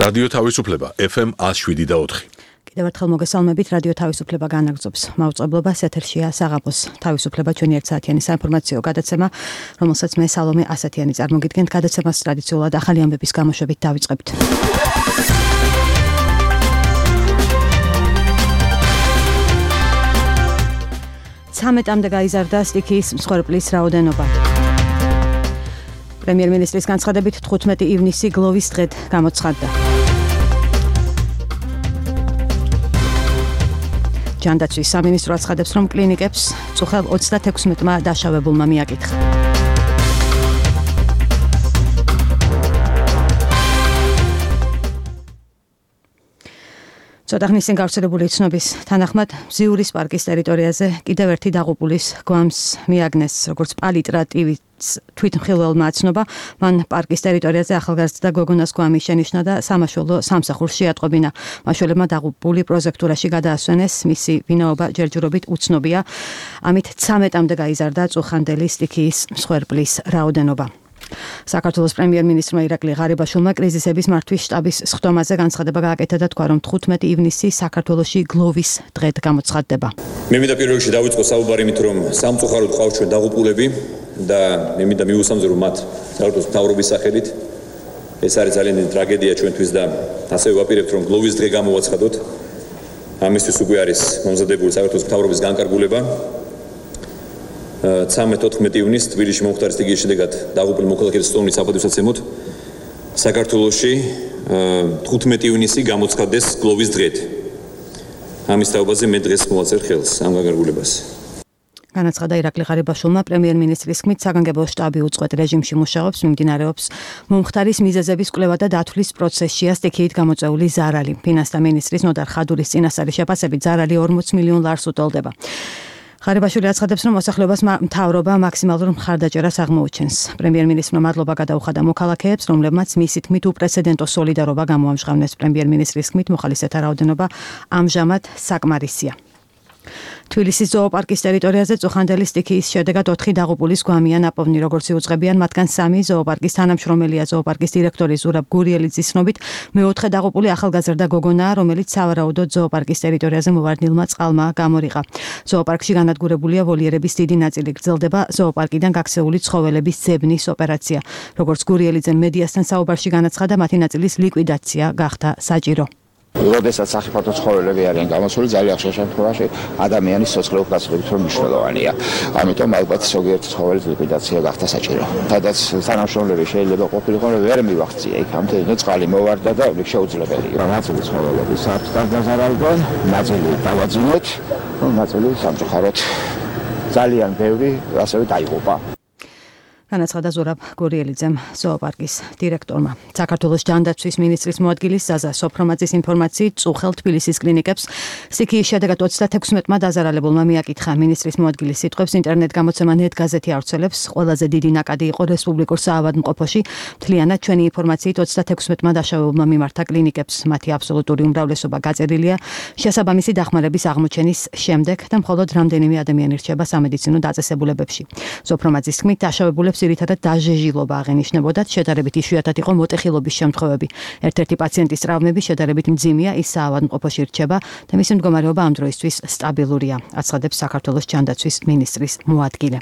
რადიო თავისუფლება FM 107.4. კიდევ ერთხელ მოგესალმებით, რადიო თავისუფლება განაგრძობს მაუწყებლობას, ეთერშია საღამოს თავისუფლება ჩვენი 1 საათიანი საინფორმაციო გადაცემა, რომელსაც მე სალომე ასათიანი წარმოგიდგენთ. გადაცემას ტრადიციულად ახალი ამბების გამოშვებით დავიწყებთ. ცამეტამდე გაიზარდა სტიქიის მსხვერპლის რაოდენობა. პრემიერ-მინისტრის განცხადებით 15 ივნისი გლოვის დღედ გამოცხადდა. ჯანდაცვის სამინისტრო აცხადებს, რომ კლინიკებს წუხელ 36-მა დაშავებულმა მიაკითხა. ცოტა ხნის წინ გავრცელებული ცნობის თანახმად, მზიურის პარკის ტერიტორიაზე კიდევ ერთი დაღუპულის გვამს მიაგნეს, როგორც პალიტრატივით თვითმხილველმა აცნობა, მან პარკის ტერიტორიაზე ახალგაზრდა გოგონას გვამი შენიშნა და სამაშველო სამსახურს შეატყობინა. მაშველებმა დაღუპული პროზექტურაში გადაასვენეს, მისი ვინაობა ჯერჯერობით უცნობია. ამით 13-მდე გაიზარდა წუხანდელი სტიქიის მსხვერპლის რაოდენობა. საქართველოს პრემიერ-მინისტრმა ირაკლი ღარიბაშვილმა კრიზისების მართვის შტაბის სხდომაზე განცხადება გააკეთა და თქვა, რომ 15 ივნისი საქართველოში გლოვის დღედ გამოცხადდება. მე მინდა პირველ რიგში დავიწყო საუბარი იმით, რომ სამწუხაროდ ყავს ჩვენ დაღუპულები და მე მინდა მივუსამძრო, რომ მათ საქართველოს მთავრობის სახელით ეს არის ძალიან დიდი ტრაგედია ჩვენთვის და ასევე ვაპირებთ, რომ გლოვის დღე გამოვაცხადოთ. ამისთვის უკვე არის მომზადებული საქართველოს მთავრობის განკარგულება. 13-14 ივნის თბილისში მომხდარი სტიქიის შედეგად დაღუპული მოქალაქეების სტომის საპატივსაცემოდ საქართველოში 15 ივნისი გამოცხადდეს გლოვის დღედ. ამის თაობაზე მე დღეს მოვაწერ ხელს ამ განკარგულებას. განაცხადა ირაკლი ღარიბაშვილმა. პრემიერ-მინისტრის ხმით საგანგებო შტაბი უწყვეტ რეჟიმში მუშაობს, მიმდინარეობს მომხდარის მიზეზების კვლევა და დათვლის პროცესშია სტიქიით გამოწვეული ზარალი. ფინანსთა მინისტრის ნოდარ ხადურის წინასწარი შეფასებით ზარალი 40 მილიონ ლარს უტოლდება. ღარიბაშვილი აცხადებს, რომ მოსახლეობას მთავრობა მაქსიმალურ მხარდაჭერას აღმოუჩენს. პრემიერ-მინისტრმა მადლობა გადაუხადა მოქალაქეებს, რომლებმაც მისი თქმით უპრეცედენტო სოლიდარობა გამოამჟღავნეს. პრემიერ-მინისტრის თქმით მოხალისეთა რაოდენობა ამჟამად საკმარისია. თბილისის ზოოპარკის ტერიტორიაზე წუხანდელი სტიქიის შედეგად 4 დაღუპულის გვამია ნაპოვნი, როგორც იუწყებიან, მათგან 3 ზოოპარკის თანამშრომელია. ზოოპარკის დირექტორი ზურაბ გურიელიძის ცნობით, მეოთხე დაღუპული ახალგაზრდა გოგონაა, რომელიც სავარაუდოდ ზოოპარკის ტერიტორიაზე მოვარდნილმა წყალმა გამორიყა. ზოოპარკში განადგურებულია ვოლიერების დიდი ნაწილი, გრძელდება ზოოპარკიდან გაქცეული ცხოველების ძებნის ოპერაცია. როგორც გურიელიძემ მედიასთან საუბარში განაცხადა, მათი ნაწილის ლიკვიდაცია გახდა საჭირო. როდესაც სახიფათო ცხოველები არიან გამოსული, ძალიან ხშირ შემთხვევაში ადამიანის სიცოცხლეულ გასაგებით რომ მნიშვნელოვანია. ამიტომ ალბათ ზოგიერთი ცხოველის ლიკვიდაცია გახდა საჭირო. სადაც თანამშრომლები შეიძლება ყოფილიყო, რომ ვერ მივახცია იქამდე, ნუ წყალი მოვარდა და შეუძლებელია. ნაწილი ცხოველების საფრთხეს დაზარალდნენ, ნაწილი დავაძინოთ, ნაწილი სამწუხაროდ ძალიან ბევრი ასევე დაიღუპა. განაცხადა ზურაბ გურიელიძემ, ზოოპარკის დირექტორმა. საქართველოს ჯანდაცვის მინისტრის მოადგილის ზაზა სოფრომაძის ინფორმაციით, წუხელ თბილისის კლინიკებს სტიქიის შედეგად 36-მა დაზარალებულმა მიაკითხა. მინისტრის მოადგილის სიტყვებს ინტერნეტ გამოცემა ნეტ გაზეთი ავრცელებს. ყველაზე დიდი ნაკადი იყო რესპუბლიკურ საავადმყოფოში. მთლიანად ჩვენი ინფორმაციით 36-მა დაშავებულმა მიმართა კლინიკებს. მათი აბსოლუტური უმრავლესობა გაწერილია შესაბამისი დახმარების აღმოჩენის შემდეგ და მხოლოდ რამდენიმე ადამიანი რჩება სამედიცინო დაწესებულებებში. სოფრომაძის თქმით, დაშავებულებს ძირითადად დაჟეჟილობა აღენიშნებოდათ, შედარებით იშვიათად იყო მოტეხილობის შემთხვევები. ერთ-ერთი პაციენტის ტრავმები შედარებით მძიმეა, ის საავადმყოფოში რჩება და მისი მდგომარეობა ამ დროისთვის სტაბილურია, აცხადებს საქართველოს ჯანდაცვის მინისტრის მოადგილე.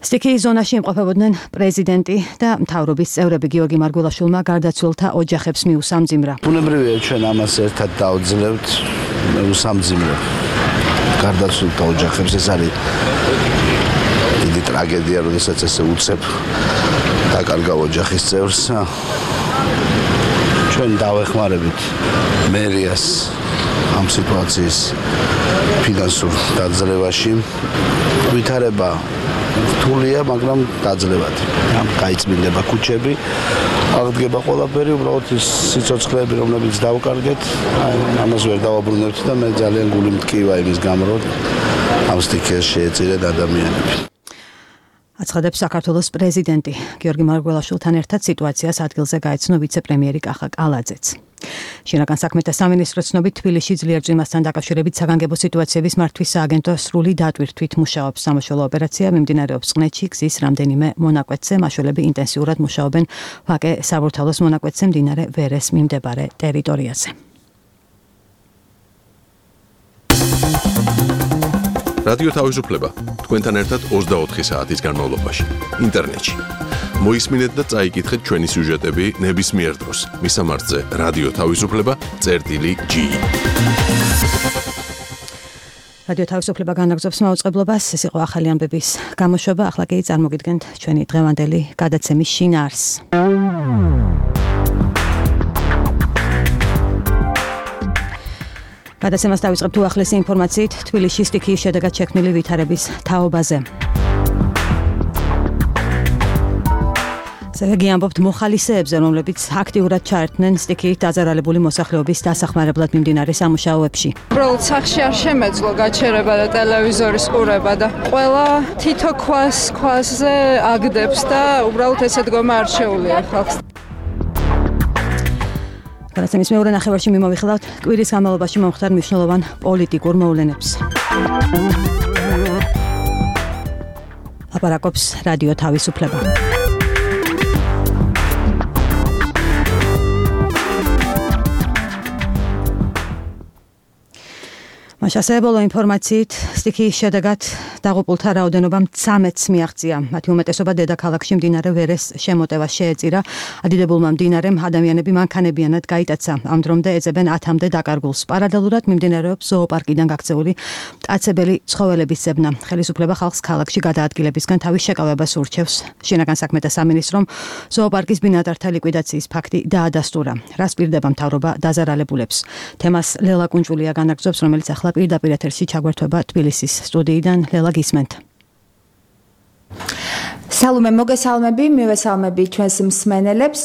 სტიქიის ზონაში იმყოფებოდნენ პრეზიდენტი და მთავრობის წევრები. გიორგი მარგველაშვილმა გარდაცვლილთა ოჯახებს მიუსამძიმრა. ბუნებრივია ჩვენ ამას ერთად დავძლებთ, მიუსამძიმრებ გარდაცვლილთა ოჯახებს. ეს არის ტრაგედია, როდესაც ესე უცებ დაკარგავ ოჯახის წევრს. ჩვენ დავეხმარებით მერიას ამ სიტუაციის ფინანსურ დაძლევაში. ვითარება რთულია, მაგრამ დაძლევად. გაიწმინდება ქუჩები, აღდგება ყველაფერი, უბრალოდ ის სიცოცხლეები, რომლებიც დავკარგეთ, ამას ვერ დავაბრუნებთ და მე ძალიან გული მტკივა იმის გამო, რომ ამ სტიქიას შეეწირეთ ადამიანები. აცხადებს საქართველოს პრეზიდენტი გიორგი მარგველაშვილთან ერთად სიტუაციას ადგილზე გაეცნო ვიცე-პრემიერი კახა კალაძეც. შინაგან საქმეთა სამინისტროს ცნობით თბილისში ძლიერ წვიმასთან დაკავშირებით საგანგებო სიტუაციების მართვის სააგენტო სრული დატვირთვით მუშაობს. სამაშველო ოპერაცია მიმდინარეობს წყნეთში, გზის რამდენიმე მონაკვეთზე, მაშველები ინტენსიურად მუშაობენ ვაკე საბურთალოს მონაკვეთზე მდინარე ვერეს მიმდებარე ტერიტორიაზე. რადიო თავისუფლება თქვენთან ერთად 24 საათის განმავლობაში ინტერნეტში. მოისმინეთ და წაიკითხეთ ჩვენი სიუჟეტები ნებისმიერ დროს. მისამართზე რადიო თავისუფლება.gi. რადიო თავისუფლება განაგრძობს მაუწყებლობას. ეს იყო ახალი ამბების გამოშვება. ახლა კი წარმოგიდგენთ ჩვენი დღევანდელი გადაცემის შინაარსს. გადაცემას დავიწყებთ უახლესი ინფორმაციით თბილისში სტიქიის შედეგად შექმნილი ვითარების თაობაზე. ზეგი ამბობთ მოხალისეებზე, რომლებიც აქტიურად ჩაერთნენ სტიქიით დაზარალებული მოსახლეობის დასახმარებლად მიმდინარე სამუშაოებში. უბრალოდ სახში არ შემეძლო გაჩერება და ტელევიზორის ყურება და ყველა თითო ქვაზე აგდებს და უბრალოდ ესე დგომა არ შეუძლია ხალხს. გადაცემის მეორე ნახევარში მიმოვიხილავთ კვირის განმავლობაში მომხდარ მნიშვნელოვან პოლიტიკურ მოვლენებს. აპარაკობს რადიო თავისუფლება. მასშტაბებრივ ინფორმაციით სტიქიის შედეგად დაღუპულთა რაოდენობა 13-ს მიაღწია. მათი უმეტესობა დედაქალაქში მდინარე ვერეს შემოტევას შეეწირა. ადიდებულმა მდინარემ ადამიანები მანქანებიანად გაიტაცა. ამ დრომდე ეძებენ 10-მდე დაკარგულს. პარალელურად მიმდინარეობს ზოოპარკიდან გაქცეული მტაცებელი ცხოველების ძებნა. ხელისუფლება ხალხს ქალაქში გადაადგილებისგან თავის შეკავებას ურჩევს. შინაგან საქმეთა სამინისტრომ ზოოპარკის ბინადართა ლიკვიდაციის ფაქტი დაადასტურა. რას პირდება მთავრობა დაზარალებულებს? თემას ლელა კუნჭულია განაგრძობს, რომელიც ახლა პირდაპირ ეთერში ჩაგვერთვება თბილისის სტუდიიდან. ლელა, გისმენთ. სალომე, მოგესალმები, მივესალმები ჩვენს მსმენელებს.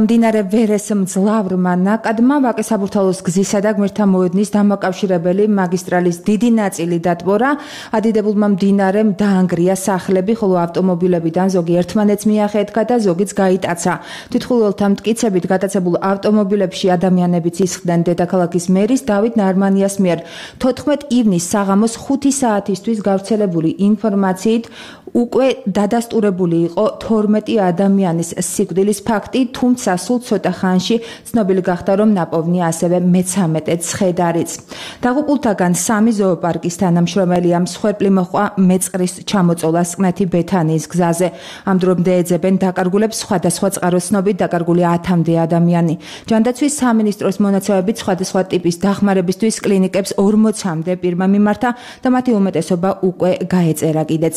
მდინარე ვერეს მძლავრმა ნაკადმა ვაკე საბურთალოს გზისა და გმირთა მოედნის დამაკავშირებელი მაგისტრალის დიდი ნაწილი დატბორა. ადიდებულმა მდინარემ დაანგრია სახლები, ხოლო ავტომობილებიდან ზოგი ერთმანეთს მიახეთქა და ზოგიც გაიტაცა. თვითმხილველთა მტკიცებით გატაცებულ ავტომობილებში ადამიანებიც ისხდნენ. დედაქალაქის მერის დავით ნარმანიას მიერ 14 ივნისს საღამოს 5 საათისთვის გავრცელებული ინფორმაციით უკვე დადასტურებული იყო 12 ადამიანის სიკვდილის ფაქტი, თუმცა სულ ცოტა ხანში ცნობილი გახდა, რომ ნაპოვნია ასევე მე-13 ცხედარიც. დაღუპულთაგან 3 ზოოპარკის თანამშრომელია, მსხვერპლი მოჰყვა მეწყრის ჩამოწოლას წყნეთი ბეთანიის გზაზე. ამ დრომდე ეძებენ დაკარგულებს სხვადასხვა წყაროს ცნობით დაკარგული 10-მდე ადამიანი. ჯანდაცვის სამინისტროს მონაცემებით სხვადასხვა ტიპის დახმარებისთვის კლინიკებს 40-მდე პირმა მიმართა და მათი უმეტესობა უკვე გაეწერა კიდეც.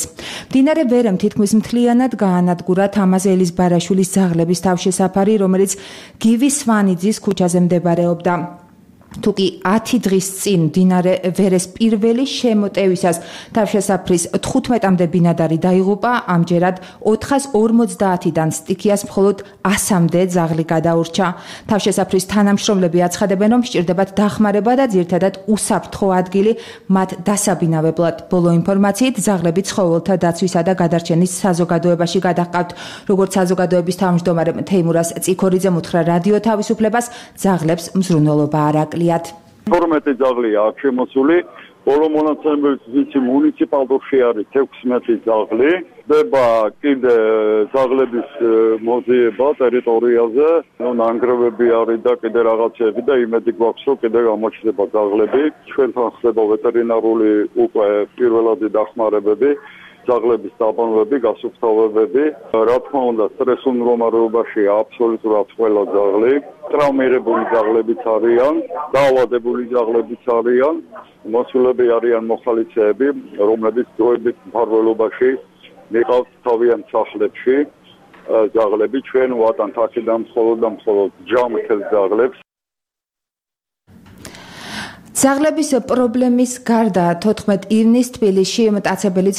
მდინარე ვერემ თითქმის მთლიანად გაანადგურა თამაზ ელიზბარაშვილის ძაღლების თავშესაფარი, რომელიც გივის სვანიძის ქუჩაზე მდებარეობდა. თუკი 10 დღის წინ მდინარე ვერეს პირველი შემოტევისას თავშესაფრის 15-მდე ბინადარი დაიღუპა, ამჯერად 450-დან სტიქიას მხოლოდ 100-მდე ძაღლი გადაურჩა. თავშესაფრის თანამშრომლები აცხადებენ, რომ სჭირდებათ დახმარება და ძირთადად უსაფრთხო ადგილი მათ დასაბინავებლად. ბოლო ინფორმაციით ძაღლები ცხოველთა დაცვისა და გადარჩენის საზოგადოებაში გადაჰყავთ. როგორც საზოგადოების თავმჯდომარე თეიმურას წიქორიძემ უთხრა რადიო თავისუფლებას, ძაღლებს მზრუნველობა არ აკლია. 12 ძაღლია აქ შემოსული, ბოლო მონაცემებით ვიცი მუნიციპალურში არის 16 ძაღლი. ხდება კიდე ძაღლების მოზიება ტერიტორიაზე, ნანგრევები არის და კიდე რაღაცები და იმედი გვაქვს, რომ კიდე გამოჩნდება ძაღლები. ჩვენთან ხდება ვეტერინარული უკვე პირველადი დახმარებები. ძაღლების დაბანვები, გასუფთავებები. რა თქმა უნდა, სტრესულ მდგომარეობაშია აბსოლუტურად ყველა ძაღლი. ტრავმირებული ძაღლებიც არიან, დაავადებული ძაღლებიც არიან. მოსულები არიან მოხალისეები, რომლებიც დროებით მფარველობაში მიყავთ თავიანთ სახლებში. ძაღლები ჩვენ ვატანთ აქედან მხოლოდ და მხოლოდ ჯამრთელ ძაღლებს. ძაღლების პრობლემის გარდა 14 ივნის თბილისში მტაცებელი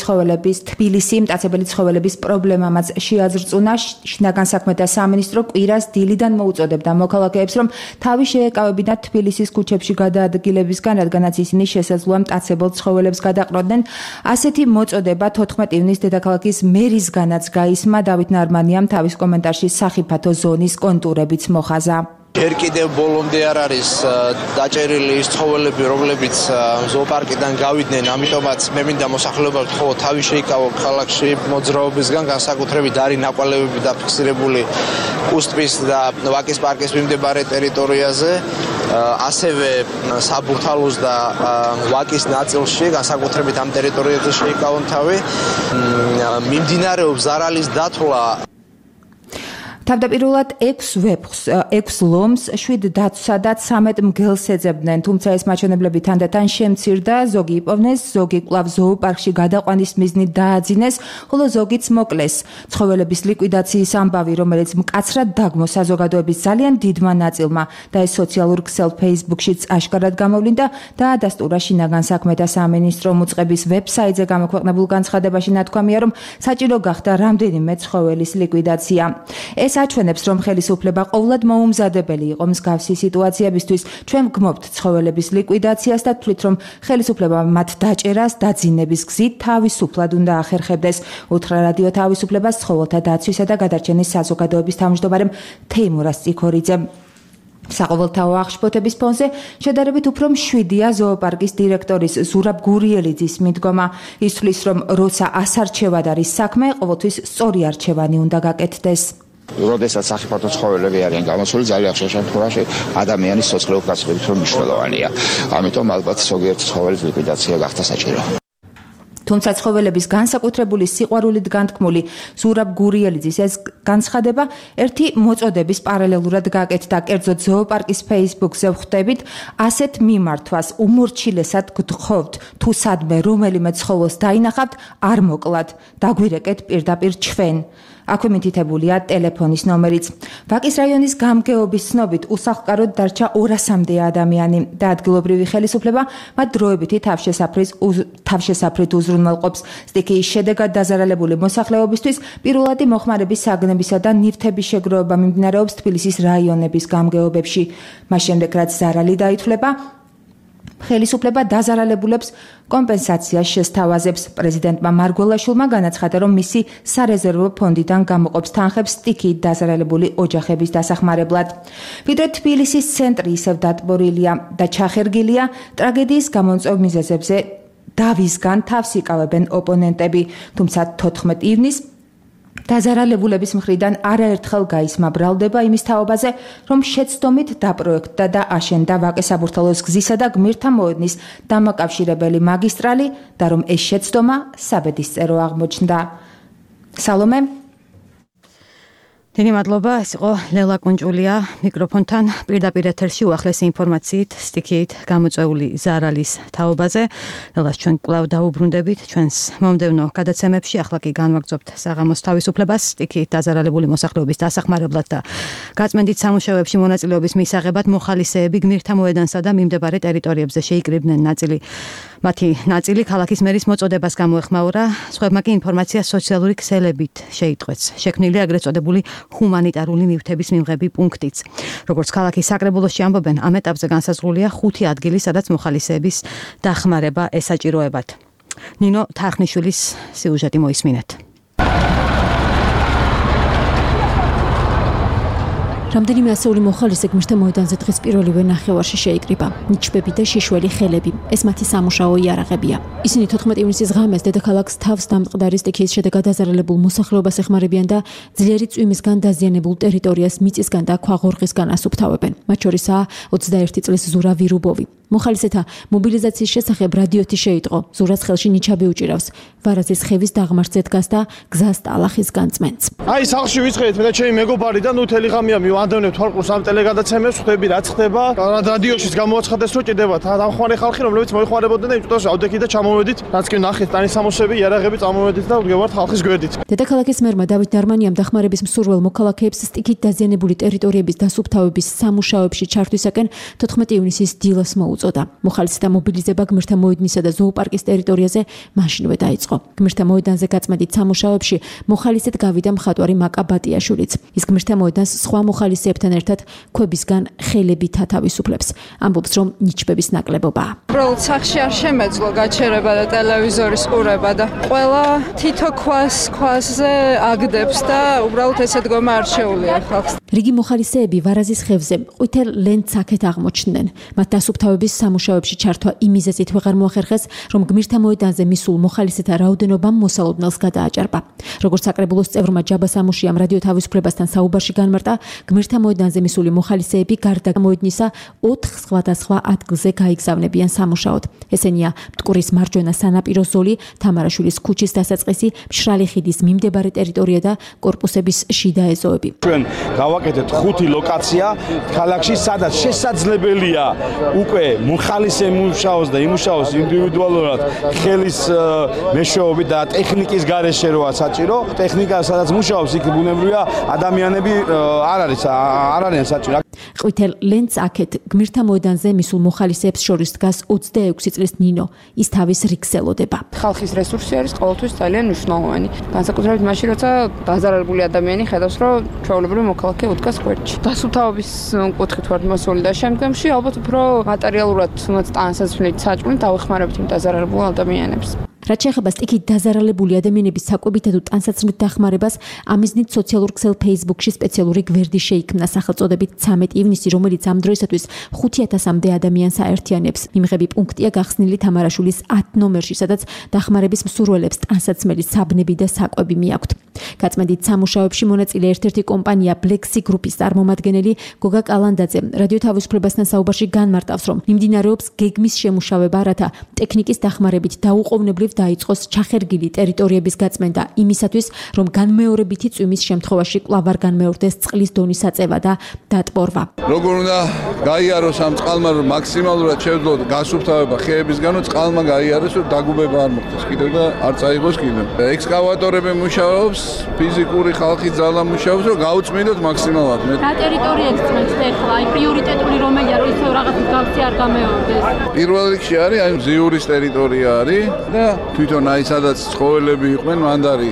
ცხოველების პრობლემამაც შეაძრწუნა. შინაგან საქმეთა სამინისტრო კვირას დილიდან მოუწოდებდა მოქალაქეებს, რომ თავი შეეკავებინათ თბილისის ქუჩებში გადაადგილებისგან, რადგანაც ისინი შესაძლოა მტაცებელ ცხოველებს გადაყროდნენ. ასეთი მოწოდება 14 ივნის დედაქალაქის მერისგანაც გაისმა. დავით ნარმანიამ თავის კომენტარში სახიფათო ზონის კონტურებიც მოხაზა. Ჯერ კიდევ ბოლომდე არ არის დაჭერილი ის ცხოველები, რომლებიც ზოოპარკიდან გავიდნენ, ამიტომაც მე მინდა მოსახლეობამ თქო თავი შეიკავო ქალაქში მოძრაობისგან, განსაკუთრებით არის ნაკვალევები დაფიქსირებული კუსტვის და ვაკის პარკის მიმდებარე ტერიტორიაზე, ასევე საბურთალოს და ვაკის ნაწილში, განსაკუთრებით ამ ტერიტორიაზე შეიკავონ თავი. მიმდინარეობს ზარალის დათვლა. თავდაპირველად 6 ლომს, 7 დაცვსა და 13 მგელს ეძებდნენ, თუმცა ეს მაჩვენებლები თანდათან შემცირდა, ზოგი იპოვნეს, ზოგი კვლავ ზოოპარკში გადაყვანის მიზნით დააძინეს, ხოლო ზოგიც მოკლეს. ცხოველების ლიკვიდაციის ამბავი, რომელიც მკაცრად დაგმო საზოგადოების ძალიან დიდმა ნაწილმა და ეს სოციალურ ქსელ Facebook-შიც აშკარად გამოვლინდა, დაადასტურა შინაგან საქმეთა სამინისტრომ უწყების ვებსაიტზე გამოქვეყნებულ განცხადებაში ნათქვამია, რომ საჭირო გახდა რამდენიმე ცხოველის ლიკვიდაცია. ეს აჩვენებს, რომ ხელისუფლება ყოვლად მოუმზადებელი იყო მსგავსი სიტუაციებისთვის. ჩვენ ვგმობთ ცხოველების ლიკვიდაციას და თვლით, რომ ხელისუფლება მათ დაჭერას დაძინების გზით თავისუფლად უნდა ახერხებდეს. უთხრა რადიო თავისუფლებას ცხოველთა დაცვისა და გადარჩენის საზოგადოების თავმჯდომარემ თეიმურას წიქორიძემ. საყოველთაო აღშფოთების ფონზე შედარებით უფრო მშვიდია ზოოპარკის დირექტორის ზურაბ გურიელიძის მიდგომა. ის თვლის, რომ როცა ასარჩევად არის საქმე, ყოველთვის სწორი არჩევანი უნდა გაკეთდეს. როდესაც სახიფათო ცხოველები არიან გამოსული, ძალიან ხშირ შემთხვევაში ადამიანის სოციალურ გასწრებით რომ მნიშვნელოვანია. ამიტომ ალბათ ზოგიერთ ცხოველის ლიკვიდაცია გახდა საჭირო. თუმცა ცხოველების განსაკუთრებული სიყვარულით განთქმული ზურაბ გურიელიძის ეს განცხადება ერთი მოწოდების პარალელურად გაკეთდა. კერძოდ ზოოპარკის Facebook-ზე ვხვდებით, ასეთ მიმართვას უმორჩილესად გთხოვთ, თუ სადმე რომელიმე ცხოველს დაინახავთ, არ მოკლათ, დაგვირეკეთ პირდაპირ ჩვენ. აქვე მითითებულია ტელეფონის ნომერიც. ვაკის რაიონის გამგეობის ცნობით უსახლკაროდ დარჩა 200-მდე ადამიანი და ადგილობრივი ხელისუფლება მათ დროებითი თავშესაფრით უზრუნველყოფს. სტიქიის შედეგად დაზარალებული მოსახლეობისთვის პირველადი მოხმარების საგნებისა და ნივთების შეგროვება მიმდინარეობს თბილისის რაიონების გამგეობებში. მას შემდეგ, რაც ზარალი დაითვლება, ხელისუფლება დაზარალებულებს კომპენსაციას შესთავაზებს. პრეზიდენტმა მარგველაშვილმა განაცხადა, რომ მისი სარეზერვო ფონდიდან გამოყოფს თანხებს სტიქიით დაზარალებული ოჯახების დასახმარებლად. ვიდრე თბილისის ცენტრი ისევ დატბორილია და ჩახერგილია, ტრაგედიის გამომწვევ მიზეზებზე დავისგან თავს იკავებენ ოპონენტები, თუმცა 14 ივნის დაზარალებულების მხრიდან არაერთხელ გაისმა ბრალდება იმის თაობაზე, რომ შეცდომით დაპროექტდა და აშენდა ვაკე-საბურთალოს გზისა და გმირთა მოედნის დამაკავშირებელი მაგისტრალი და რომ ეს შეცდომა საბედისწერო აღმოჩნდა. სალომე დიდი მადლობა, ეს იყო ლელა კუნჭულია მიკროფონთან პირდაპირ ეთერში უახლესი ინფორმაციით სტიქიით გამოწვეული ზარალის თაობაზე. ლელას ჩვენ კვლავ დაუბრუნდებით ჩვენს მომდევნო გადაცემებში. ახლა კი განვაგრძობთ საღამოს თავისუფლებას სტიქიით დაზარალებული მოსახლეობის დასახმარებლად და გაწმენდით სამუშაოებში მონაწილეობის მისაღებად მოხალისეები გმირთა მოედანსა და მიმდებარე ტერიტორიებზე შეიკრიბნენ მათი ნაწილი ქალაქის მერის მოწოდებას გამოეხმაურა. სხვებმა კი ინფორმაცია სოციალური ქსელებით შეიტყვეს. შექმნილი აგრეთ წოდებული ჰუმანიტარული ნივთების მიმღები პუნქტიც. როგორც ქალაქის საკრებულოში ამბობენ, ამ ეტაპზე განსაზღვრულია 5 ადგილი, სადაც მოხალისეების დახმარება ესაჭიროებათ. ნინო თარხნიშვილის სიუჟეტი მოისმინეთ. რამდენიმე ასეული მოხალისე გმირთა მოედანზე დღეს პირველივე ნახევარში შეიკრიბა. ნიჩბები და შიშველი ხელები. ეს მათი სამუშაო იარაღებია. ისინი 14 ივნისის ღამეს დედაქალაქს თავს დამტყდარი სტიქიის შედეგად დაზარალებულ მოსახლეობას ეხმარებიან და ძლიერი წვიმისგან დაზიანებულ ტერიტორიას მიწისგან და ქვაღორღისგან ასუფთავებენ. მათ შორისაა 21 წლის ზურა ვირუბოვი. მოხალისეთა მობილიზაციის შესახებ რადიოთი შეიტყო. ზურას ხელში ნიჩაბი უჭირავს. ვარაზის ხევის დაღმართზე დგას და გზას ტალახის განწმენს. აი სახლში ვიწყეთ მე და ჩემი მეგობარი და ნუ თელი ღამეა მივანდევნებ თვალყურს ამ ტელეგადაცემებს, ხვდები რაც ხდება. რადიოშიც გამოაცხადეს რომ ჭირდება დამხმარე ხალხი, რომლებიც მოიხმარებოდნენ და იმ წუთას ავდექით და ჩამოვედით. რაც კი ნახეთ ტანის სამოსები, იარაღები წამოვედით და ვდგევართ ხალხის გვერდით. დედაქალაქის მერმა დავით ნარმანიამ დახმარების მსურველ მოქალაქეებს სტიქით დაზიანებული ტერიტორიების დასუფთავების სამუშაოებში ჩართვისაკენ 14 ივნისის დილას მოუწოდა. მოუწოდა. მოხალისეთა მობილიზება გმირთა მოედნისა და ზოოპარკის ტერიტორიაზე მაშინვე დაიწყო. გმირთა მოედანზე გაწმენდით სამუშაოებში მოხალისედ გავიდა მხატვარი მაკა ბატიაშვილიც. ის გმირთა მოედანს სხვა მოხალისეებთან ერთად ქვებისგან ხელებით ათავისუფლებს. ამბობს, რომ ნიჩბების ნაკლებობაა. უბრალოდ სახში არ შემეძლო გაჩერება და ტელევიზორის ყურება და ყველა თითო ქვაზე აგდებს და უბრალოდ ესე დგომა არ შეუძლია ხალხს. რიგი მოხალისეები ვარაზის ხევზე ყვითელ ლენტს აქეთ აღმოჩნდნენ. მათ დასუფთავების სამუშაოებში ჩართვა იმიზეზით ვეღარ მოახერხეს, რომ გმირთა მოედანზე მისულ მოხალისეთა რაოდენობამ მოსალოდნელს გადააჭარბა. როგორც საკრებულოს წევრმა ჯაბა სამუშიამ რადიო თავისუფლებასთან საუბარში განმარტა, გმირთა მოედანზე მისული მოხალისეები გარდა მოედნისა 4 სხვადასხვა ადგილზე გაიგზავნებიან სამუშაოდ. ესენია მტკვრის მარჯვენა სანაპირო ზოლი, თამარაშვილის ქუჩის დასაწყისი, მშრალი ხიდის მიმდებარე ტერიტორია და კორპუსების შიდა ეზოები. ჩვენ გავაკეთეთ 5 ლოკაცია ქალაქში, სადაც შესაძლებელია უკვე მოხალისე მუშაოს და იმუშაოს ინდივიდუალურად ხელის მეშვეობით და ტექნიკის გარეშე როა საჭირო. ტექნიკა სადაც მუშაობს, იქ ბუნებრივია ადამიანები არ არიან საჭირო. ყვითელ ლენტს აქეთ გმირთა მოედანზე მისულ მოხალისეებს შორის დგას 26 წლის ნინო. ის თავის რიგს ელოდება. ხალხის რესურსი არის ყოველთვის ძალიან მნიშვნელოვანი. განსაკუთრებით მაშინ, როცა დაზარალებული ადამიანი ხედავს, რომ ჩვეულებრივ მოქალაქე უდგას გვერდში. დასუფთავების კუთხით ვარ მოსული და შემდგომში ალბათ უფრო მატერიალურად თუნდაც ტანსაცმლით საჭმლით დავეხმარებთ იმ დაზარალებულ ადამიანებს. რაც შეეხება სტიქით დაზარალებული ადამიანების საკვებითა თუ ტანსაცმლით დახმარებას, ამიზნით სოციალურ ქსელ Facebook-ში სპეციალური გვერდი შეიქმნა სახელწოდებით 13 ივნისი, რომელიც ამ დროისათვის 5000-მდე ადამიანს აერთიანებს. მიმღები პუნქტია გახსნილი თამარაშვილის 10 ნომერში, სადაც დახმარების მსურველებს ტანსაცმელი, საბნები და საკვები მიაქვთ. გაწმენდით სამუშაოებში მონაწილე ერთ-ერთი კომპანია Blexi Group-ის წარმომადგენელი გოგა კალანდაძე რადიო თავისუფლებასთან საუბარში განმარტავს, რომ მიმდინარეობს გეგმის შემუშავება, რათა ტექნიკის დახმარებით დაუყოვნებლივ დაიწყოს ჩახერგილი ტერიტორიების გაწმენდა იმისათვის, რომ განმეორებითი წვიმის შემთხვევაში კვლავ არ განმეორდეს წყლის დონის აწევა და დატბორვა. როგორ უნდა გაიაროს ამ წყალმა, რომ მაქსიმალურად შევძლოთ გასუფთავება ხეებისგან, რომ წყალმა გაიაროს, რომ დაგუბება არ მოხდეს კიდევ და არ წაიღოს კიდევ. ექსკავატორები მუშაობს, ფიზიკური ხალხი ძალა მუშაობს, რომ გაუწმინდოთ მაქსიმალურად. რა ტერიტორიებს წმენთ ახლა? აი პრიორიტეტული რომელია, რომ ისევ რაღაც მსგავსი არ გამეორდეს? პირველ რიგში არის აი მზიურის ტერიტორია არის და თვითონ აი სადაც ცხოველები იყვნენ, მანდარი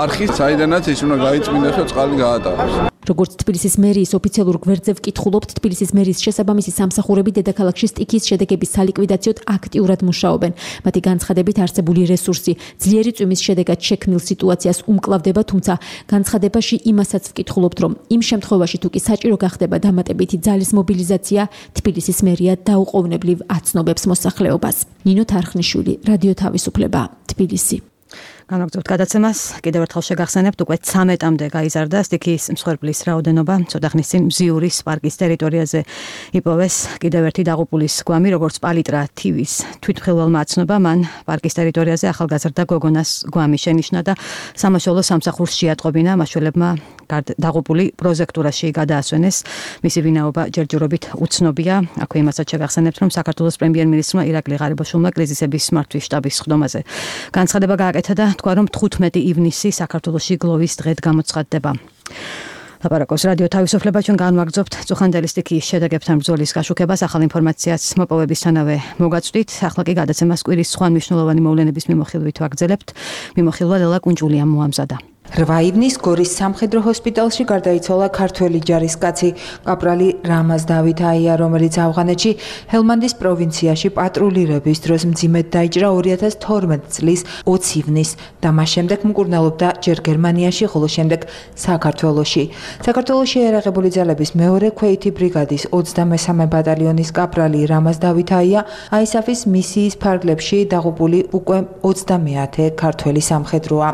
არხი, საიდანაც ის უნდა გაიწმინდეს, რომ წყალი გაატაროს. როგორც თბილისის მერიის ოფიციალურ გვერდზე ვკითხულობთ, თბილისის მერიის შესაბამისი სამსახურები დედაქალაქში სტიქიის შედეგების სალიკვიდაციოდ აქტიურად მუშაობენ. მათი განცხადებით არსებული რესურსი ძლიერი წვიმის შედეგად შექმნილ სიტუაციას უმკლავდება, თუმცა განცხადებაში იმასაც ვკითხულობთ, რომ იმ შემთხვევაში თუ კი საჭირო გახდება დამატებითი ძალის მობილიზაცია, თბილისის მერია დაუყოვნებლივ აცნობებს მოსახლეობას. ნინო თარხნიშვილი, რადიო თავისუფლება, თბილისი. განაგრძობთ გადაცემას, კიდევ ერთხელ შეგახსენებთ, უკვე 13-მდე გაიზარდა სტიქიის მსხვერპლის რაოდენობა. ცოტა ხნის წინ მზიურის პარკის ტერიტორიაზე იპოვეს კიდევ ერთი დაღუპულის გვამი, როგორც პალიტრა TV-ს თვითმხილველმა აცნობა, მან პარკის ტერიტორიაზე ახალგაზრდა გოგონას გვამი შენიშნა და სამაშველო სამსახურს შეატყობინა. მაშველებმა დაღუპული პროზექტურაში გადაასვენეს. მისი ვინაობა ჯერჯერობით უცნობია. აქვე იმასაც შეგახსენებთ, რომ საქართველოს პრემიერ-მინისტრმა ირაკლი ღარიბაშვილმა კრიზისების მართვის შტაბის სხდომაზე განცხადება გააკეთა და თქვა, რომ 15 ივნისი საქართველოში გლოვის დღედ გამოცხადდება. ლაპარაკობს რადიო თავისუფლება, ჩვენ განვაგრძობთ წუხანდელი სტიქიის შედეგებთან ბრძოლის გაშუქებას, ახალ ინფორმაციას მოპოვებისთანავე მოგაწვდით. ახლა კი გადაცემას კვირის სხვა მნიშვნელოვანი მოვლენების მიმოხილვით ვაგრძელებთ. მიმოხილვა ლელა კუნჭულიამ მოამზადა. 8 ივნის გორის სამხედრო ჰოსპიტალში გარდაიცვალა ქართველი ჯარისკაცი კაპრალი რამაზ დავით აია, რომელიც ავღანეთში ჰელმანდის პროვინციაში პატრულირების დროს მძიმედ დაიჭრა 2012 წლის 20 ივნის და მას შემდეგ მკურნალობდა ჯერ გერმანიაში, ხოლო შემდეგ საქართველოში. საქართველოში ერაღებული ძალების მეორე ქვეითი ბრიგადის 23 ბატალიონის კაპრალი რამაზ დავით აია ISAF-ის მისიის ფარგლებში დაღუპული უკვე 30-ე ქართველი სამხედროა.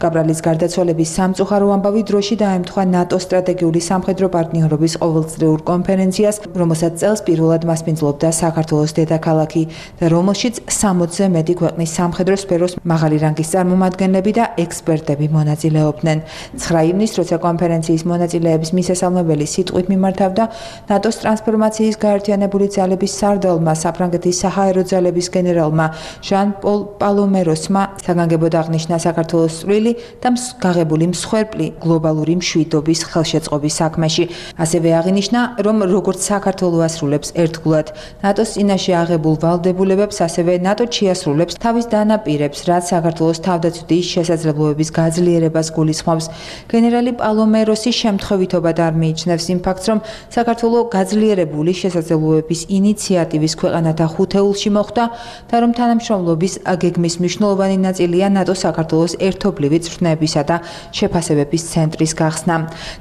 კაპრალის გარდაცვალების სამწუხარო ამბავი დროში დაემთხვა ნატო სტრატეგიული სამხედრო პარტნიორობის ყოველწლიურ კონფერენციას, რომელსაც წელს პირველად მასპინძლობდა საქართველოს დედაქალაქი და რომელშიც 60-ზე მეტი ქვეყნის სამხედრო სფეროს მაღალი რანგის წარმომადგენლები და ექსპერტები მონაწილეობდნენ. 9 ივნისს, როცა კონფერენციის მონაწილეების მისასალმებელი სიტყვით მიმართავდა ნატოს ტრანსფორმაციის გაერთიანებული ძალების სარდალმა, საფრანგეთის საჰაერო ძალების გენერალმა ჟან პოლ პალომეროსმა საგანგებოდ აღნიშნა საქართველოს წვლილი და გაღებული მსხვერპლი გლობალური მშვიდობის ხელშეწყობის საქმეში. ასევე აღინიშნა, რომ როგორც საქართველო ასრულებს ერთგულად ნატოს წინაშე აღებულ ვალდებულებებს, ასევე ნატო შეასრულებს თავის დანაპირებს, რაც საქართველოს თავდაცვითი შესაძლებლობების გაძლიერებას გულისხმობს. გენერალი პალომეროსი შემთხვევითობად არ მიიჩნევს იმ ფაქტს, რომ საქართველო გაძლიერებული შესაძლებლობების ინიციატივის ქვეყანათა ხუთეულში მოხვდა და რომ თანამშრომლობის გეგმის მნიშვნელოვანი ნაწილია ნატო საქართველოს ერთობლივი წვრთნებისა და შეფასებების ცენტრის გახსნა.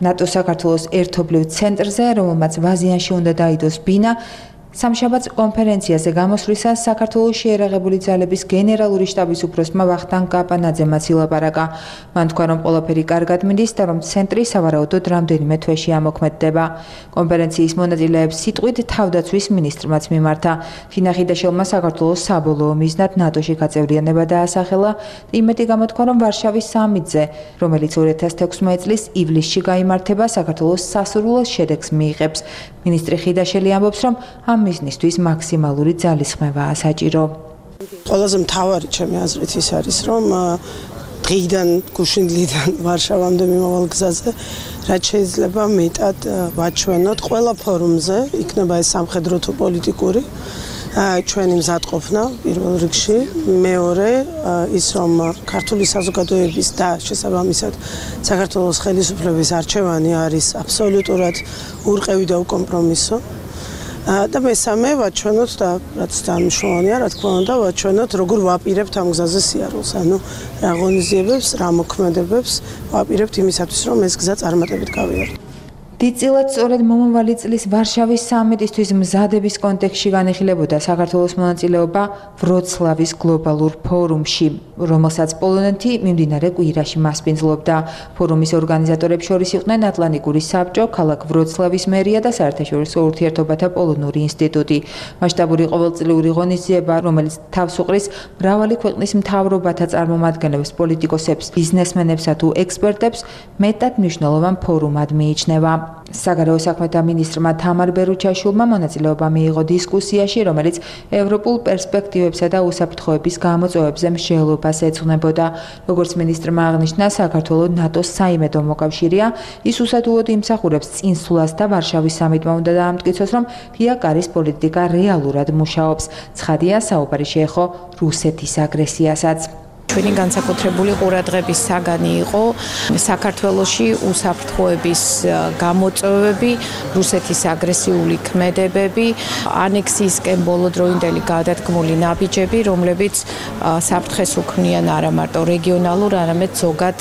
ნატო საქართველოს ერთობლივ ცენტრზე, რომელმაც ვაზიანში უნდა დაიდოს ბინა, სამშაბათს კონფერენციაზე გამოსვლისას საქართველოს შეერაღებული ძალების გენერალური შტაბის უფროსმა ვახტანგ კაპანაძემაც ილაპარაკა. მან თქვა, რომ ყველაფერი კარგად მიდის და რომ ცენტრი სავარაუდოდ რამდენიმე თვეში ამოქმედდება. კონფერენციის მონაწილეებს სიტყვით თავდაცვის მინისტრმაც მიმართა. თინა ხიდაშელმა საქართველოს საბოლოო მიზნად ნატოში გაწევრიანება დაასახელა. იმედი გამოთქვა, რომ ვარშავის სამიტზე, რომელიც 2016 წლის ივლისში გაიმართება, საქართველოს სასურველ შედეგს მიიღებს. მინისტრი ხიდაშელი ამბობს, რომ ამ მიზნისთვის მაქსიმალური ძალისხმევაა საჭირო. ყველაზე მთავარი ჩემი აზრით ის არის, რომ დღიდან გუშინდლიდან ვარშავამდე მიმავალ გზაზე რაც შეიძლება მეტად ვაჩვენოთ ყველა ფორუმზე, იქნება ეს სამხედრო თუ პოლიტიკური, ჩვენი მზადყოფნა პირველ რიგში, მეორე ის რომ ქართული საზოგადოების და შესაბამისად საქართველოს ხელისუფლების არჩევანი არის აბსოლუტურად ურყევი და უკომპრომისო. და მესამე ვაჩვენოთ და რაც მნიშვნელოვანია, რა თქმა უნდა, ვაჩვენოთ როგორ ვაპირებთ ამ გზაზე სიარულს, ანუ რა ღონისძიებებს, რა მოქმედებებს ვაპირებთ იმისათვის, რომ ეს გზა წარმატებით გავიაროთ. დიდწილად სწორედ მომავალი წლის ვარშავის სამიტისთვის მზადების კონტექსტში განიხილებოდა საქართველოს მონაწილეობა ვროცლავის გლობალურ ფორუმში, რომელსაც პოლონეთი მიმდინარე კვირაში მასპინძლობდა. ფორუმის ორგანიზატორებს შორის იყვნენ ატლანტიკური საბჭო, ქალაქ ვროცლავის მერია და საერთაშორისო ურთიერთობათა პოლონური ინსტიტუტი. მასშტაბური ყოველწლიური ღონისძიება, რომელიც თავს უყრის მრავალი ქვეყნის მთავრობათა წარმომადგენლებს, პოლიტიკოსებს, ბიზნესმენებსა თუ ექსპერტებს, მეტად მნიშვნელოვან ფორუმად მიიჩნევა. საგარეო საქმეთა მინისტრმა თამარ ბერუჩაშვილმა მონაწილეობა მიიღო დისკუსიაში, რომელიც ევროპულ პერსპექტივებსა და უსაფრთხოების გამოწვევებზე მსჯელობას ეძღვნებოდა. როგორც მინისტრმა აღნიშნა, საქართველო ნატოს საიმედო მოკავშირეა, ის უსადუოდ იმსახურებს წინსვლას და ვარშავის სამიტმა უნდა დაამტკიცოს, რომ ფიაკარის პოლიტიკა რეალურად მუშაობს. ცხადია, საუბარი შეეხო რუსეთის აგრესიასაც. ჩვენი განსაკუთრებული ყურადღების საგანი იყო საქართველოში უსაფრთხოების გამოწვევები, რუსეთის აგრესიული ქმედებები, ანექსიისკენ ბოლოდროინდელი გადადგმული ნაბიჯები, რომლებიც საფრთხეს უქმნიან არა მარტო რეგიონალურ, არამედ ზოგად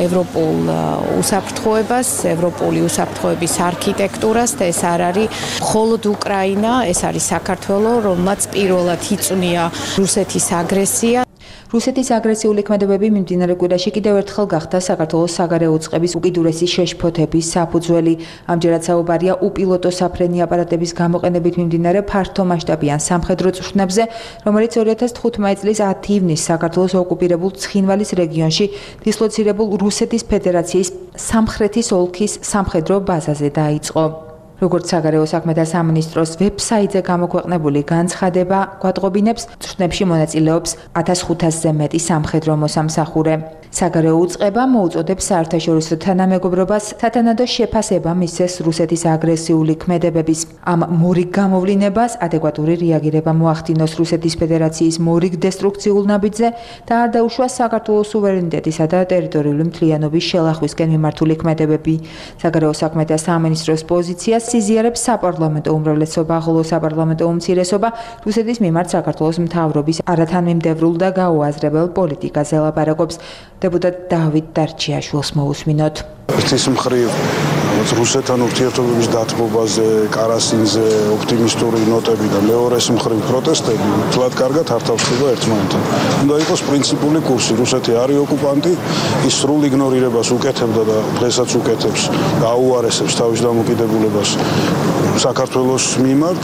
ევროპულ უსაფრთხოებას, ევროპული უსაფრთხოების არქიტექტურას და ეს არ არის მხოლოდ უკრაინა, ეს არის საქართველო, რომელმაც პირველად იწვნია რუსეთის აგრესია. რუსეთის აგრესიული ქმედებები მიმდინარე კვირაში კიდევ ერთხელ გახდა საქართველოს საგარეო უწყების უკიდურესი შეშფოთების საფუძველი. ამჯერად საუბარია უპილოტო საფრენი აპარატების გამოყენებით მიმდინარე ფართომასშტაბიან სამხედრო წვრთნებზე, რომელიც 2015 წლის 10 ივნისს საქართველოს ოკუპირებულ ცხინვალის რეგიონში დისლოცირებულ რუსეთის ფედერაციის სამხრეთის ოლქის სამხედრო ბაზაზე დაიწყო. როგორც საგარეო საქმეთა სამინისტროს ვებსაიტზე გამოქვეყნებული განცხადება გვატყობინებს, წვრთნებში მონაწილეობს 1500-ზე მეტი სამხედრო მოსამსახურე. საგარეო უწყება მოუწოდებს საერთაშორისო თანამეგობრობას სათანადო შეფასება მისცეს რუსეთის აგრესიული ქმედებების. ამ მორიგ გამოვლინებას ადეკვატური რეაგირება მოახდინოს რუსეთის ფედერაციის მორიგ დესტრუქციულ ნაბიჯზე და არ დაუშვას საქართველოს სუვერენიტეტისა და ტერიტორიული მთლიანობის შელახვისკენ მიმართული ქმედებები. საგარეო საქმეთა სამინისტროს პოზიციას სიზიარებს საპარლამენტო უმრავლესობა, ხოლო საპარლამენტო უმცირესობა რუსეთის მიმართ საქართველოს მთავრობის არათანმიმდევრულ და გაუაზრებელ პოლიტიკაზე ლაპარაკობს. დეპუტატ დავით დარჩიაშვილს მოусმინოთ. ერთის მხრივ რუსეთთან ურთიერთობების დათმობაზე, კარასინზე ოპტიმისტური ნოტები და მეორეს მხრივ პროტესტები თლად კარგად არ თავდება ერთმანეთთან. უნდა იყოს პრინციპული კურსი. რუსეთი არის ოკუპანტი, ის სრულ იგნორირებას უკეთებდა და დღესაც უკეთებს და აუარესებს თავის დამოკიდებულებას საქართველოს მიმართ.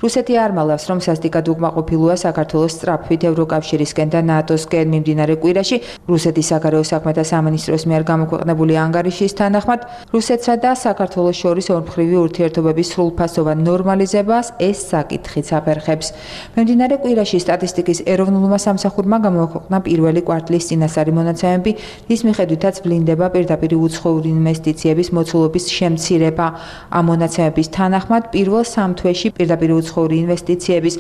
რუსეთი არ მალავს, რომ სასტიკად უკმაყოფილოა საქართველოს სწრაფვით ევროკავშირისკენ და ნატოსკენ მიმდინარე კვირაში რუსეთის საგარეო საქმეთა სამინისტროს მიერ გამოქვეყნებული ანგარიშის თანახმად, რუსეთსა და საქართველოს შორის ორმხრივი ურთიერთობების სრულფასოვან ნორმალიზებას ეს საკითხიც აფერხებს. მიმდინარე კვირაში სტატისტიკის ეროვნულმა სამსახურმა გამოაქვეყნა პირველი კვარტლის წინასწარი მონაცემები, რის მიხედვითაც ვლინდება პირდაპირ უცხოური ინვესტიციების მოცულობის შემცირება. ამ მონაცემების თანახმად პირველ 3 თვეში პირდაპირ უცხოური ინვესტიციების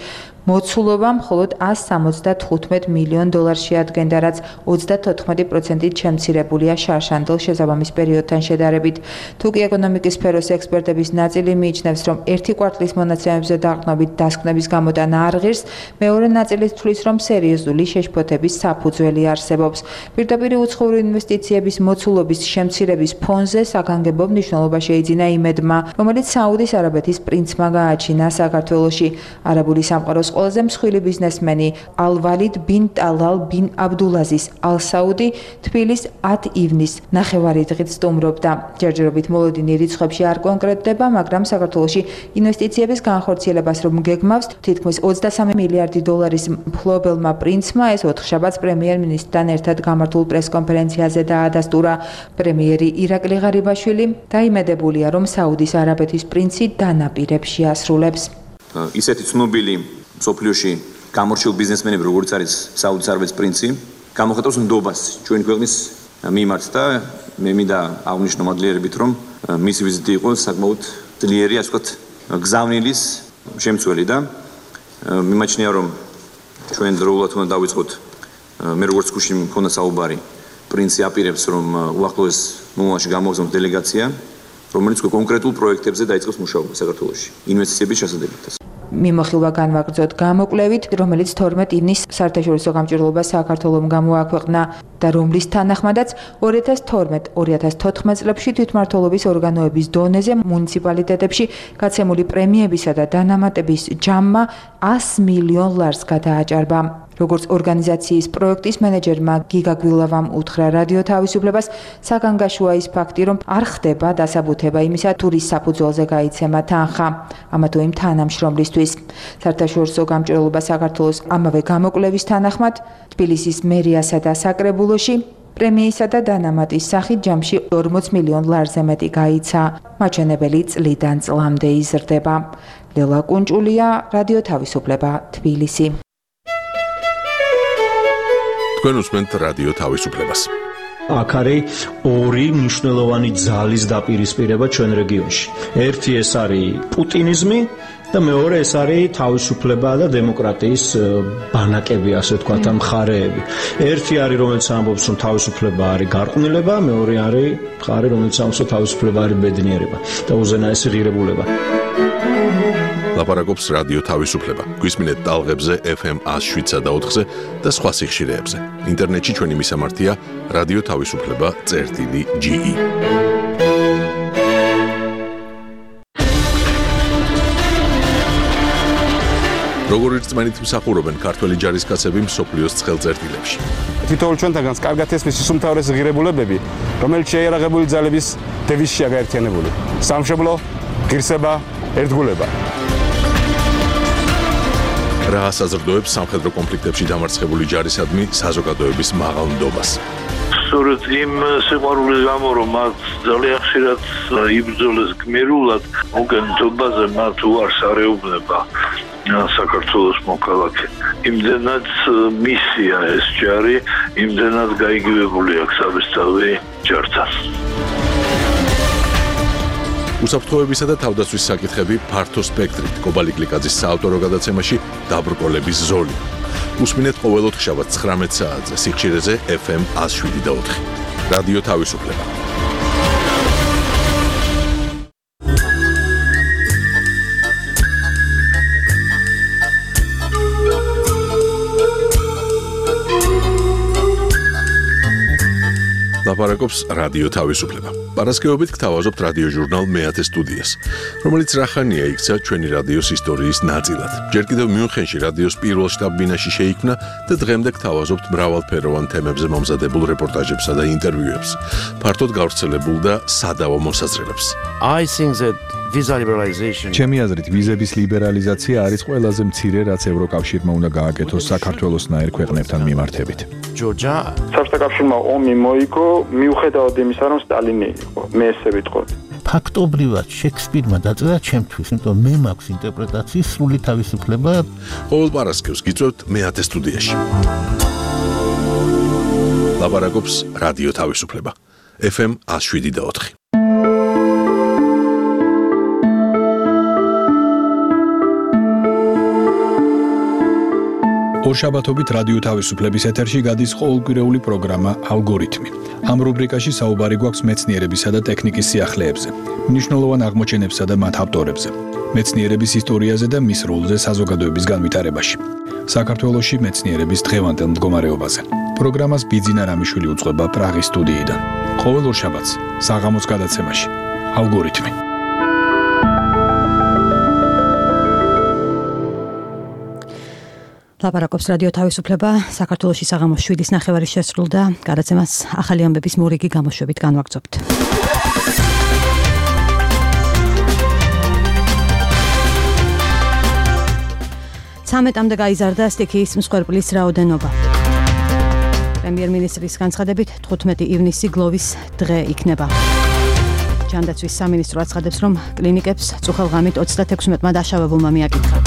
მოცულობა მხოლოდ 175 მილიონ დოლარს შეადგენდა, რაც 34%-ით შემცირებულია შარშანდელ შესაბამის პერიოდთან შედარებით. თუკი ეკონომიკის სფეროს ექსპერტების ნაწილი მიიჩნევს, რომ ერთი კვარტლის მონაცემებზე დაყრდნობით დასკვნების გამოტანა არ ღირს, მეორე ნაწილი თვლის, რომ სერიოზული შეშფოთების საფუძველი არსებობს. პირდაპირ უცხოური ინვესტიციების მოცულობის შემცირების ფონზე საგანგებო მნიშვნელობა შეიძინა იმედმა, რომელიც საუდის არაბეთის პრინცმა გააჩინა საქართველოში. არაბული სამყაროს ყველაზე მსხვილი ბიზნესმენი ალ-ვალიდ ბინ ტალალ ბინ აბდულაზის ალ-საუდი თბილის 10 ივნის ნახევარი დღით სტუმრობდა. ჯერჯერობით მოლოდინი რიცხვებში არ კონკრეტდება, მაგრამ საქართველოში ინვესტიციების განხორციელებას რომ გეგმავს, თითქმის 23 მილიარდი დოლარის მფლობელმა პრინცმა ეს ოთხშაბათს პრემიერ-მინისტრთან ერთად გამართულ პრესკონფერენციაზე დაადასტურა. პრემიერი ირაკლი ღარიბაშვილი დაიმედებულია, რომ საუდის არაბეთის პრინცი დანაპირებს შეასრულებს. ისეთი ცნობილი სოფლიოში გამორჩეულ ბიზნესმენები, როგორც არის საუდის არაბეთის პრინცი, გამოხატავს ნდობას ჩვენი ქვეყნის მიმართ და მე მინდა აღვნიშნო მადლიერებით, რომ მისი ვიზიტი იყო საკმაოდ ძლიერი, ასე ვთქვათ, გზავნილის შემცველი და მიმაჩნია, რომ ჩვენ დროულად უნდა დავიწყოთ, მე როგორც გუშინ მქონდა საუბარი, პრინცი აპირებს, რომ უახლოეს მომავალში გამოვზოს დელეგაცია, რომელიც კონკრეტულ პროექტებზე დაიწყოს მუშაობა საქართველოში, ინვესტიციების შესაძლებლად. მიმოხილვა განვაგრძოთ გამოკვლევით, რომელიც 12 ივნისს საერთაშორისო გამჭირვალობა საქართველოს გამოაქვეყნა და რომლის თანახმადაც 2012-2014 წლებში თვითმმართველობის ორგანოების დონეზე მუნიციპალიტეტებში გაცემული პრემიებისა და დანამატების ჯამმა 100 მილიონ ლარს გადააჭარბა. როგორც ორგანიზაციის პროექტის მენეჯერმა გიგა გვილავამ უთხრა რადიო თავისუფლებას, საგანგაშოა ის ფაქტი, რომ არ ხდება დასაბუთება იმისა, თუ რის საფუძველზე გაიცემა თანხა, ამა თუ იმ თანამშრომლისთვის. საერთაშორისო გამჭირვალობა საქართველოს ამავე გამოკვლევის თანახმად, თბილისის მერიასა და საკრებულოში პრემიისა და დანამატის სახით ჯამში 40 მილიონ ლარზე მეტი გაიცა. მაჩვენებელი წლიდან წლამდე იზრდება. ლელა კუნჭულია, რადიო თავისუფლება, თბილისი. თქვენ უსმენთ რადიო თავისუფლებას. აქ არის ორი მნიშვნელოვანი ძალის დაპირისპირება ჩვენ რეგიონში. ერთი ეს არის პუტინიზმი და მეორე ეს არის თავისუფლება და დემოკრატიის ბანაკები, ასე ვთქვათ, მხარეები. ერთი არის, რომელიც ამბობს, რომ თავისუფლება არის გარყვნილება, მეორე არის მხარე, რომელიც ამბობს, რომ თავისუფლება არის ბედნიერება და უზენაესი ღირებულება. ლაპარაკობს რადიო თავისუფლება. გვისმინეთ ტალღებზე FM 107.4-ზე და სხვა სიხშირეებზე. ინტერნეტში ჩვენი მისამართია რადიო თავისუფლება.ge. როგორი რწმენით მსახურობენ ქართველი ჯარისკაცები მსოფლიოს ცხელწერტილებში. თითოეულ ჩვენთაგანს კარგად ესმის ის უმთავრესი ღირებულებები, რომელიც შეიარაღებული ძალების დევიზშია გაერთიანებული. სამშობლო, ღირსება, ერთგულება. რა ასაზრდოებს სამხედრო კონფლიქტებში დამარცხებული ჯარისადმი საზოგადოების მაღალ ნდობას. სწორედ იმ სიყვარულის გამო, რომ მათ ძალიან ხშირად იბრძოლეს გმირულად, მოგენთობაზე მათ უარს არეუბნება საქართველოს მოქალაქე. იმდენად მისია ეს ჯარი, იმდენად გაიგივებული აქვს საბესთავი ჯართან. უსაფრთხოებისა და თავდაცვის საკითხები ფართო სპექტრით. კობალი გლიკაძის საავტორო გადაცემაში დაბრკოლების ზოლი. უსმინეთ ყოველ ოთხშაბათს 19 საათზე სიხშირეზე FM 107.4. რადიო თავისუფლება. ლაპარაკობს რადიო თავისუფლება. პარასკევობით გთავაზობთ რადიო ჟურნალ მეათე სტუდიას, რომელიც რახანია იქცა ჩვენი რადიოს ისტორიის ნაწილად. ჯერ კიდევ მიუნხენში რადიოს პირველ შტაბ-ბინაში შეიქმნა და დღემდე გთავაზობთ მრავალფეროვან თემებზე მომზადებულ რეპორტაჟებსა და ინტერვიუებს, ფართოდ გავრცელებულ და სადავო მოსაზრებებს. ჩემი აზრით, ვიზების ლიბერალიზაცია არის ყველაზე მცირე, რაც ევროკავშირმა უნდა გააკეთოს საქართველოსნაირ ქვეყნებთან მიმართებით. საბჭოთა კავშირმა ომი მოიგო, მიუხედავად იმისა, რომ სტალინი იყო. მე ესე ვიტყოდი. ფაქტობრივად შექსპირმა დაწერა ჩემთვის, იმიტომ მე მაქვს ინტერპრეტაციის სრული თავისუფლება. ყოველ პარასკევს გიწევთ მეათე სტუდიაში. ლაპარაკობს რადიო თავისუფლება. FM 107.4. ორშაბათობით რადიო თავისუფლების ეთერში გადის ყოველკვირეული პროგრამა ალგორითმი. ამ რუბრიკაში საუბარი გვაქვს მეცნიერებისა და ტექნიკის სიახლეებზე, მნიშვნელოვან აღმოჩენებსა და მათ ავტორებზე, მეცნიერების ისტორიაზე და მის როლზე საზოგადოების განვითარებაში. საქართველოში მეცნიერების დღევანდელ მდგომარეობაზე. პროგრამას ბიძინა რამიშვილი უძღვება პრაღის სტუდიიდან. ყოველ ორშაბათს საღამოს გადაცემაში ალგორითმი. ლაპარაკობს რადიო თავისუფლება. საქართველოში საღამოს 7:30 შესრულდა. გადაცემას ახალი ამბების მორიგი გამოშვებით განვაგრძობთ. ცამეტამდე გაიზარდა სტიქიის მსხვერპლის რაოდენობა. პრემიერ-მინისტრის განცხადებით 15 ივნისი გლოვის დღე იქნება. ჯანდაცვის სამინისტრო აცხადებს, რომ კლინიკებს წუხელღამით 36-მა დაშავებულმა მიაკითხა.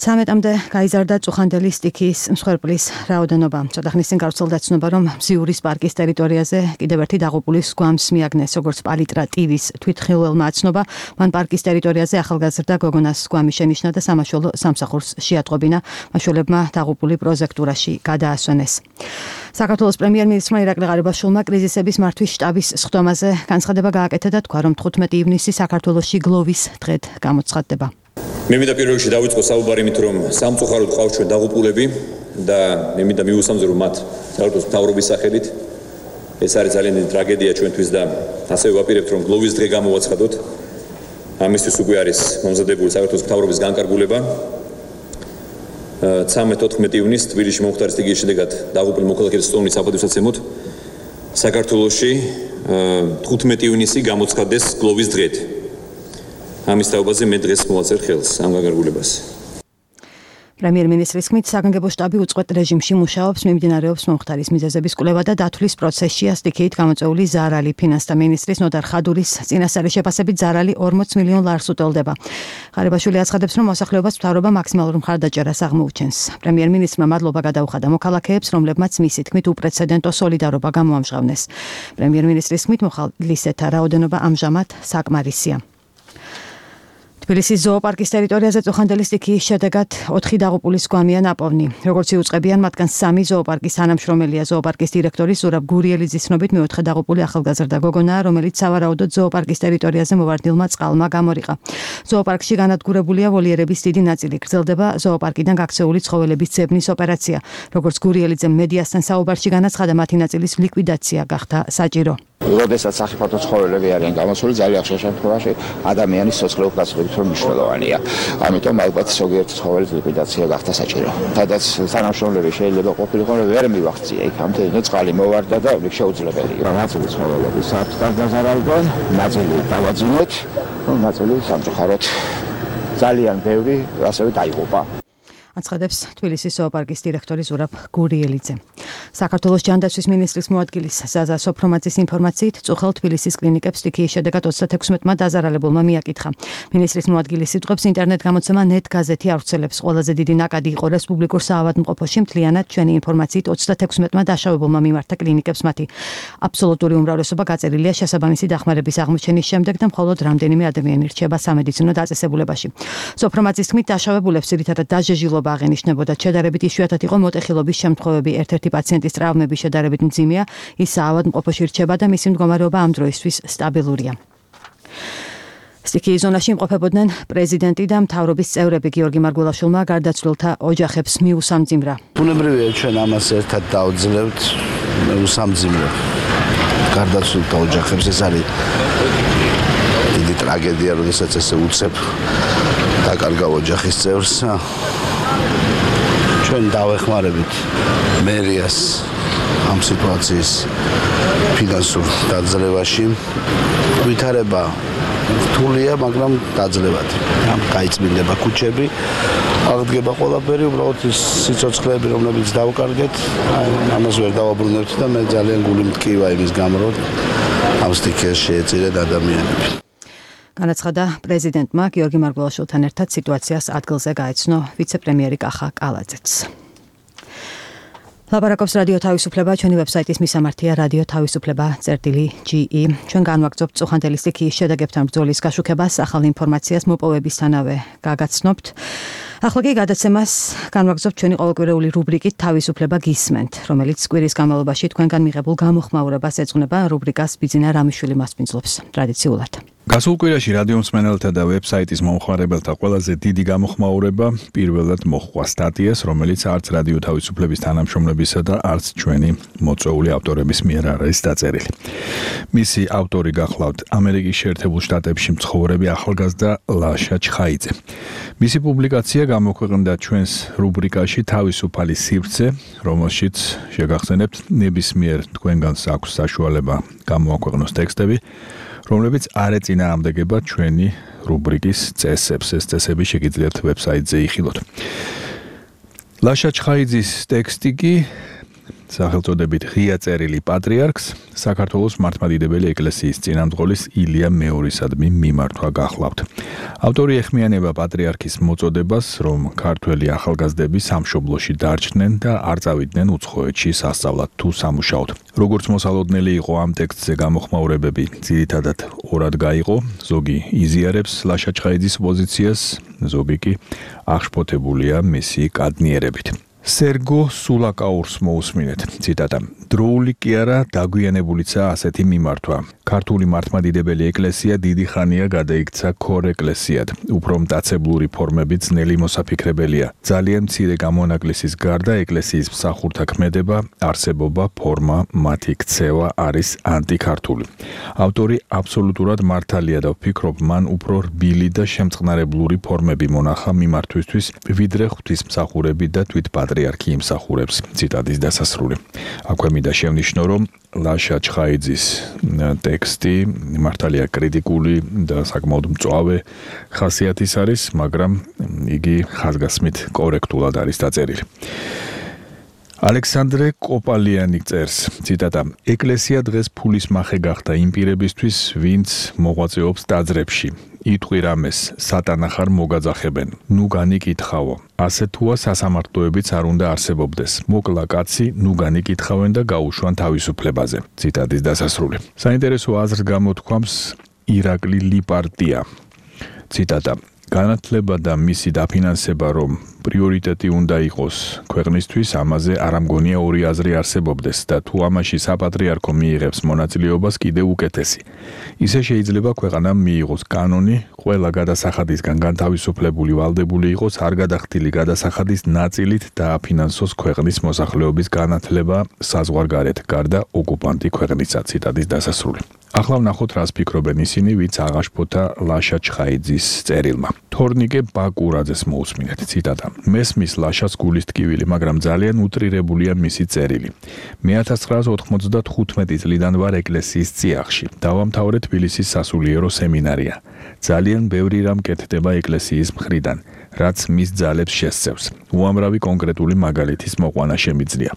ცამეტამდე გაიზარდა წუხანდელი სტიქიის მსხვერპლის რაოდენობა. ცოტა ხნის წინ გავრცელდა ცნობა, რომ მზიურის პარკის ტერიტორიაზე კიდევ ერთი დაღუპულის გვამს მიაგნეს, როგორც პალიტრა ტივის თვითმხილველმა აცნობა. მან პარკის ტერიტორიაზე ახალგაზრდა გოგონას გვამი შენიშნა და სამაშველო სამსახურს შეატყობინა. მაშველებმა დაღუპული პროზექტურაში გადაასვენეს. საქართველოს პრემიერ-მინისტრმა ირაკლი ღარიბაშვილმა კრიზისების მართვის შტაბის სხდომაზე განცხადება გააკეთა და თქვა, რომ 15 ივნისი საქართველოში გლოვის დღედ გამოცხადდება. მე მინდა პირველ რიგში დავიწყო საუბარი იმით, რომ სამწუხაროდ ყავს ჩვენ დაღუპულები და მე მინდა მივუსამძრო მათ საქართველოს მთავრობის სახელით. ეს არის ძალიან დიდი ტრაგედია ჩვენთვის და ასევე ვაპირებთ, რომ გლოვის დღე გამოვაცხადოთ. ამისთვის უკვე არის მომზადებული საქართველოს მთავრობის განკარგულება. 13-14 ივნისს თბილისში მომხდარი სტიქიის შედეგად დაღუპულ მოქალაქეებს სტომნის საპატივსაცემოდ საქართველოში 15 ივნისი გამოცხადდეს გლოვის დღედ. ამის თაობაზე მე დღეს მოვაწერ ხელს ამ განკარგულებას. პრემიერ-მინისტრის თქმით, საგანგებო შტაბი უწყვეტ რეჟიმში მუშაობს, მიმდინარეობს მომხდარის მიზეზების კვლევა და დათვლის პროცესშია სტიქიით გამოწვეული ზარალი. ფინანსთა მინისტრის ნოდარ ხადურის წინასწარი შეფასებით ზარალი 40 მილიონ ლარს უტოლდება. ღარიბაშვილი აცხადებს, რომ მოსახლეობას მთავრობა მაქსიმალურ მხარდაჭერას აღმოუჩენს. პრემიერ-მინისტრმა მადლობა გადაუხადა მოქალაქეებს, რომლებმაც მისი თქმით უპრეცედენტო სოლიდარობა გამოამჟღავნეს. პრემიერ-მინისტრის თქმით, მოხალისეთა რაოდენობა ამჟამად საკმარისია. თბილისის ზოოპარკის ტერიტორიაზე წუხანდელი სტიქიის შედეგად 4 დაღუპულის გვამია ნაპოვნი. როგორც იუწყებიან, მათგან 3 ზოოპარკის თანამშრომელია. ზოოპარკის დირექტორი ზურაბ გურიელიძის ცნობით მეოთხე დაღუპული ახალგაზრდა გოგონაა, რომელიც სავარაუდოდ ზოოპარკის ტერიტორიაზე მოვარდნილმა წყალმა გამორიყა. ზოოპარკში განადგურებულია ვოლიერების დიდი ნაწილი. გრძელდება ზოოპარკიდან გაქცეული ცხოველების ძებნის ოპერაცია. როგორც გურიელიძემ მედიასთან საუბარში განაცხადა, მათი ნაწილის ლიკვიდაცია გახდა საჭირო. როდესაც სახიფათო ცხოველები არიან გამოსული, ძალიან ხშირ შემთხვევაში ადამიანის სოციალურ გასწრებით რომ მნიშვნელოვანია. ამიტომ ალბათ ზოგიერთ ცხოველის ლიკვიდაცია გახდა საჭირო. სადაც თანამშრომლები შეიძლება ყოფილიყო, რომ ვერ მივახცია იქამდე, წყალი მოვარდა და შეუძლებელია. ნაწილი ცხოველების აქვს დაზარალდნენ, ნაწილი დავაძინეთ, ნაწილი სამწუხაროდ ძალიან ბევრი ასევე დაიღუპა. აცხადებს თბილისის ზოოპარკის დირექტორი ზურაბ გურიელიძე. საქართველოს ჯანდაცვის მინისტრის მოადგილის ზაზა სოფრომაძის ინფორმაციით, წუხელ თბილისის კლინიკებს სტიქიის შედეგად 36-მა დაზარალებულმა მიაკითხა. მინისტრის მოადგილის სიტყვებს ინტერნეტ გამოცემა net გაზეთი ავრცელებს. ყველაზე დიდი ნაკადი იყო რესპუბლიკურ საავადმყოფოში. მთლიანად ჩვენი ინფორმაციით 36-მა დაშავებულმა მიმართა კლინიკებს მათი აბსოლუტური უმრავლესობა გაწერილია შესაბამისი დახმარების აღმოჩენის შემდეგ და მხოლოდ რამდენიმე ადამიანი რჩება სამედიცინო დაწესებულებაში. სოფრომაძის თქმით, დაშავებულებს ძირითადად დაჟეჟილობა აღენიშნებოდა. შედარებით იშვიათად იყო მოტეხილობის შემთხვევები. ერთ-ერთი პაციენტის ტრავმები შედარებით მძიმეა, ის საავადმყოფოში რჩება და მისი მდგომარეობა ამ დროისთვის სტაბილურია. სტიქიის ზონაში იმყოფებოდნენ პრეზიდენტი და მთავრობის წევრები. გიორგი მარგველაშვილმა გარდაცვლილთა ოჯახებს მიუსამძიმრა. ბუნებრივია ჩვენ ამას ერთად დავძლებთ, მიუსამძიმრებ გარდაცვლილთა ოჯახებს. ეს არის დიდი ტრაგედია, როდესაც ესე უცებ დაკარგავ ოჯახის წევრს. ჩვენ დავეხმარებით მერიას ამ სიტუაციის ფინანსურ დაძლევაში. ვითარება რთულია, მაგრამ დაძლევადი. გაიწმინდება ქუჩები, აღდგება ყველაფერი, უბრალოდ ის სიცოცხლეები, რომლებიც დავკარგეთ, ამას ვერ დავაბრუნებთ და მე ძალიან გული მტკივა იმის გამო, რომ ამ სტიქიას შეეწირეთ ადამიანები. განაცხადა პრეზიდენტმა გიორგი მარგველაშვილთან ერთად სიტუაციას ადგილზე გაეცნო ვიცე-პრემიერი კახა კალაძეც. ლაპარაკობს რადიო თავისუფლება, ჩვენი ვებსაიტის მისამართია radio-tavisupleba.ge. ჩვენ განვაგრძობთ წუხანდელი სტიქიის შედეგებთან ბრძოლის გაშუქებას, ახალ ინფორმაციას მოპოვებისთანავე გაგაცნობთ. ახლა კი გადაცემას განვაგრძობთ ჩვენი ყოველკვირეული რუბრიკით თავისუფლება გისმენთ, რომელიც კვირის განმავლობაში თქვენგან მიღებულ გამოხმაურებას ეძღვნება. რუბრიკას ბიძინა რამიშვილი მასპინძლობს ტრადიციულად. გასულ კვირაში რადიო მსმენელთა და ვებსაიტის მომხმარებელთა ყველაზე დიდი გამოხმაურება პირველად მოჰყვა სტატიას, რომელიც არც რადიო თავისუფლების თანამშრომლებისა და არც ჩვენი მოწვეული ავტორების მიერ არ არის დაწერილი. მისი ავტორი გახლავთ ამერიკის შეერთებულ შტატებში მცხოვრები ახალგაზრდა ლაშა ჩხაიძე. მისი პუბლიკაცია გამოქვეყნდა ჩვენს რუბრიკაში თავისუფალი სივრცე, რომელშიც შეგახსენებთ ნებისმიერ თქვენგანს აქვს საშუალება გამოაქვეყნოს ტექსტები, რომლებიც არ ეწინააღმდეგება ჩვენი რუბრიკის წესებს. ეს წესები შეგიძლიათ ვებსაიტზე იხილოთ. ლაშა ჩხაიძის ტექსტი კი სახელწოდებით ღია წერილი პატრიარქს საქართველოს მართლმადიდებელი ეკლესიის წინამძღოლის ილია მეორისადმი მიმართვა გახლავთ. ავტორი ეხმიანება პატრიარქის მოწოდებას, რომ ქართველი ახალგაზრდები სამშობლოში დარჩნენ და არ წავიდნენ უცხოეთში სასწავლად თუ სამუშაოდ. როგორც მოსალოდნელი იყო ამ ტექსტზე გამოხმაურებები ძირითადად ორად გაიყო, ზოგი იზიარებს ლაშა ჩხაიძის პოზიციას, ზოგი კი აღშფოთებულია მისი კადნიერებით. სერგო სულაკაურს მოусმინეთ. ციტატა: დროული კი არა, დაგვიანებულიცაა ასეთი მიმართვა. ქართული მართლმადიდებელი ეკლესია დიდი ხანია გადაიქცა ქორ ეკლესიად. უფრო მტაცებლური ფორმები ძნელი მოსაფიქრებელია. ძალიან მცირე გამონაკლისის გარდა ეკლესიის მსახურთა ქმედება, არსებობა, ფორმა, მათი ქცევა არის ანტიქართული. ავტორი აბსოლუტურად მართალია და ვფიქრობ, მან უფრო რბილი და შემწყნარებლური ფორმები მონახა მიმართვისთვის, ვიდრე ღვთისმსახურები და თვითპატრიარქი იმსახურებს. ციტატის დასასრული. აქვე მინდა შევნიშნო, რომ ლაშა ჩხაიძის ტექსტი მართალია კრიტიკული და საკმაოდ მწვავე ხასიათის არის, მაგრამ იგი ხაზგასმით კორექტულად არის დაწერილი. ალექსანდრე კოპალიანი წერს, ციტატა: ეკლესია დღეს ფულის მახე გახდა იმ პირებისთვის, ვინც მოღვაწეობს ტაძრებში. იტყვი რამეს, სატანა ხარ მოგაძახებენ. ნუ განიკითხავო. ასე თუა სასამართლოებიც არ უნდა არსებობდეს. მოკლა კაცი, ნუ განიკითხავენ და გაუშვან თავისუფლებაზე. ციტატის დასასრული. საინტერესო აზრს გამოთქვამს ირაკლი ლიპარტია. ციტატა: განათლება და მისი დაფინანსება რომ პრიორიტეტი უნდა იყოს ქვეყნისთვის, ამაზე არ ამგონია ორი აზრი არსებობდეს და თუ ამაში საპატრიარქო მიიღებს მონაწილეობას კიდევ უკეთესი. ისე შეიძლება ქვეყანამ მიიღოს კანონი, ყველა გადასახადისგან განთავისუფლებული ვალდებული იყოს არ გადახდილი გადასახადის ნაწილით და აფინანსოს ქვეყნის მოსახლეობის განათლება საზღვარგარეთ, გარდა ოკუპანტი ქვეყნისა. ციტატის დასასრული. ახლა ვნახოთ რას ფიქრობენ ისინი, ვინც აღაშფოთა ლაშა ჩხაიძის წერილმა. თორნიკე ბაკურაძეს მოусმინეთ. ციტატა: მესმის ლაშას გულის ტკივილი, მაგრამ ძალიან უტრირებულია მისი წერილი. მე 1995 წლიდან ვარ ეკლესიის წიაღში. დავამთავრე თბილისის სასულიერო სემინარია. ძალიან ბევრი რამ კეთდება ეკლესიის მხრიდან, რაც მის ძალებს შესწევს. უამრავი კონკრეტული მაგალითის მოყვანა შემიძლია.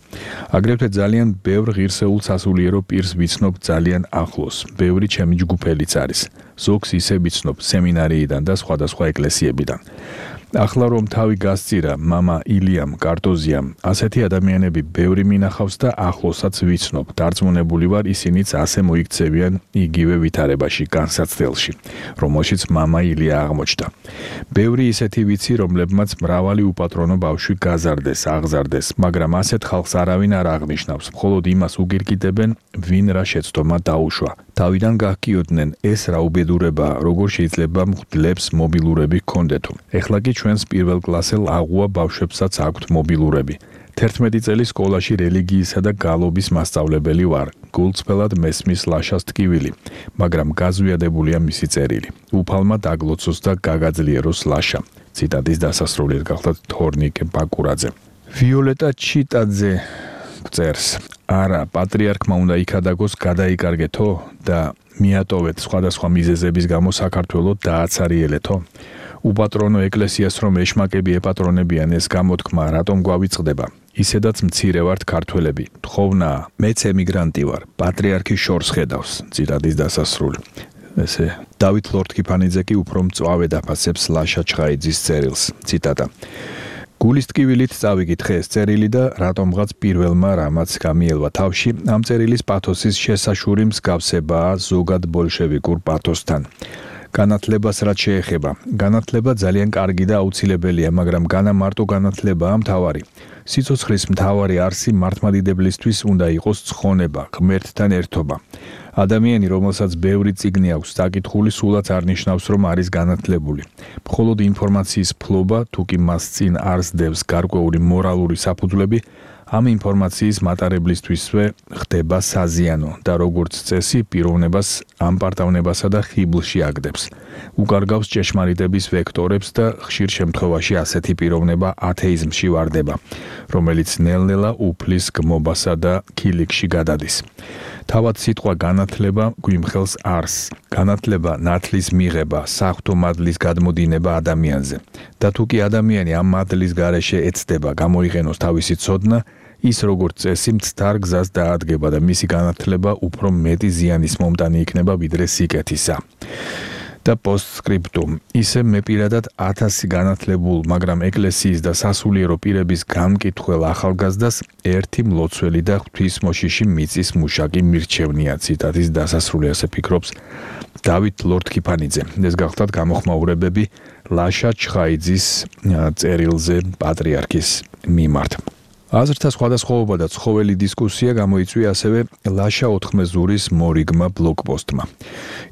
აგრეთვე ძალიან ბევრ ღირსეულ სასულიერო პირს ვიცნობ ძალიან ახლოს. ბევრი ჩემი ჯგუფელიც არის. ზოგს ისე ვიცნობ სემინარიიდან და სხვადასხვა ეკლესიებიდან. ახლა რომ თავი გასწირა მამა ილიამ კარტოზიამ, ასეთი ადამიანები ბევრი მინახავს და ახლოსაც ვიცნობ. დარწმუნებული ვარ, ისინიც ასე მოიქცევიან იგივე ვითარებაში, განსაცდელში, რომელშიც მამა ილია აღმოჩნდა. ბევრი ისეთი ვიცი, რომლებმაც მრავალი უპატრონო ბავშვი გაზარდეს, აღზარდეს, მაგრამ ასეთ ხალხს არავინ არ აღნიშნავს, მხოლოდ იმას უგირგიტებენ, ვინ რა შეცდომა დაუშვა. თავიდან გახკიოდნენ ეს რა უბედური ბედურება, როგორ შეიძლება მღვდლებს მობილურები ჰქონდეთო. ეხლა კი ჩვენს პირველ კლასელ აღუა ბავშვებსაც აქვთ მობილურები. 11 წელი სკოლაში რელიგიისა და გალობის მასწავლებელი ვარ. გულწრფელად მესმის ლაშას ტკივილი, მაგრამ გაზვიადებულია მისი წერილი. უფალმა დაგლოცოს და გაგაძლიეროს ლაშა. ციტატის დასასრულით გახლავთ თორნიკე ბაკურაძე. ვიოლეტა ჩიტაძე წერს: არა, პატრიარქმა უნდა იქადაგოს გადაიკარგეთო და მიატოვეთ სხვადასხვა მიზეზების გამო საქართველო დააცარიელეთო. უპატრონო ეკლესიას რომ ეშმაკები ეპატრონებიან, ეს გამოთქმა რატომ გვავიწყდება? ისედაც მცირე ვართ ქართველები. თხოვნა, მეც ემიგრანტი ვარ. პატრიარქი შორს ხედავს. ციტატის დასასრული. ესე დავით ლორთქიფანიძე კი უფრო მწვავედ აფასებს ლაშა ჩხაიძის წერილს. ციტატა: გულის ტკივილით წავიკითხე ეს წერილი და რატომღაც პირველმა რამაც გამიელვა თავში, ამ წერილის პათოსის შესაშური მსგავსებაა ზოგად ბოლშევიკურ პათოსთან. განათლებას რაც შეეხება, განათლება ძალიან კარგი და აუცილებელია, მაგრამ განა მარტო განათლებაა მთავარი. სიცოცხლის მთავარი არსი მართლმადიდებლისთვის უნდა იყოს ცხონება, ღმერთთან ერთობა. ადამიანი, რომელსაც ბევრი წიგნი აქვს დაკითხული, სულაც არ ნიშნავს, რომ არის განათლებული. მხოლოდ ინფორმაციის ფლობა, თუ კი მას წინ არ სდევს გარკვეული მორალური საფუძვლები, ამ ინფორმაციის მატარებლისთვისვე ხდება საზიანო და როგორც წესი პიროვნებას ამპარტავნებასა და ხიბლში აგდებს. უკარგავს ჭეშმარიტების ვექტორებს და ხშირ შემთხვევაში ასეთი პიროვნება ათეიზმში ვარდება, რომელიც ნელ-ნელა უფლის გმობასა და ქილიქში გადადის. თავად სიტყვა განათლება გვიმხელს არსს. განათლება ნათლის მიღება, საღვთო მადლის გადმოდინება ადამიანზე. და თუ კი ადამიანი ამ მადლის გარეშე ეცდება გამოიყენოს თავისი ცოდნა, ის როგორც წესი მცდარ გზას დაადგება და მისი განათლება უფრო მეტი ზიანის მომტანი იქნება ვიდრე სიკეთისა. და პოსტსკრიპტუმ: ისე მე პირადად 1000 განათლებულ, მაგრამ ეკლესიის და სასულიერო პირების გამკითხველ ახალგაზრდას ერთი მლოცველი და ღვთისმოშიში მიწის მუშაკი მირჩევნია. ციტატის დასასრული ასე ფიქრობს დავით ლორთქიფანიძე. ეს გახლავთ გამოხმაურებები ლაშა ჩხაიძის წერილზე პატრიარქის მიმართ. აზრთა სხვადასხვაობა და ცხოველი დისკუსია გამოიწვია ასევე ლაშა ოთხმეზურის მორიგმა ბლოგპოსტმა.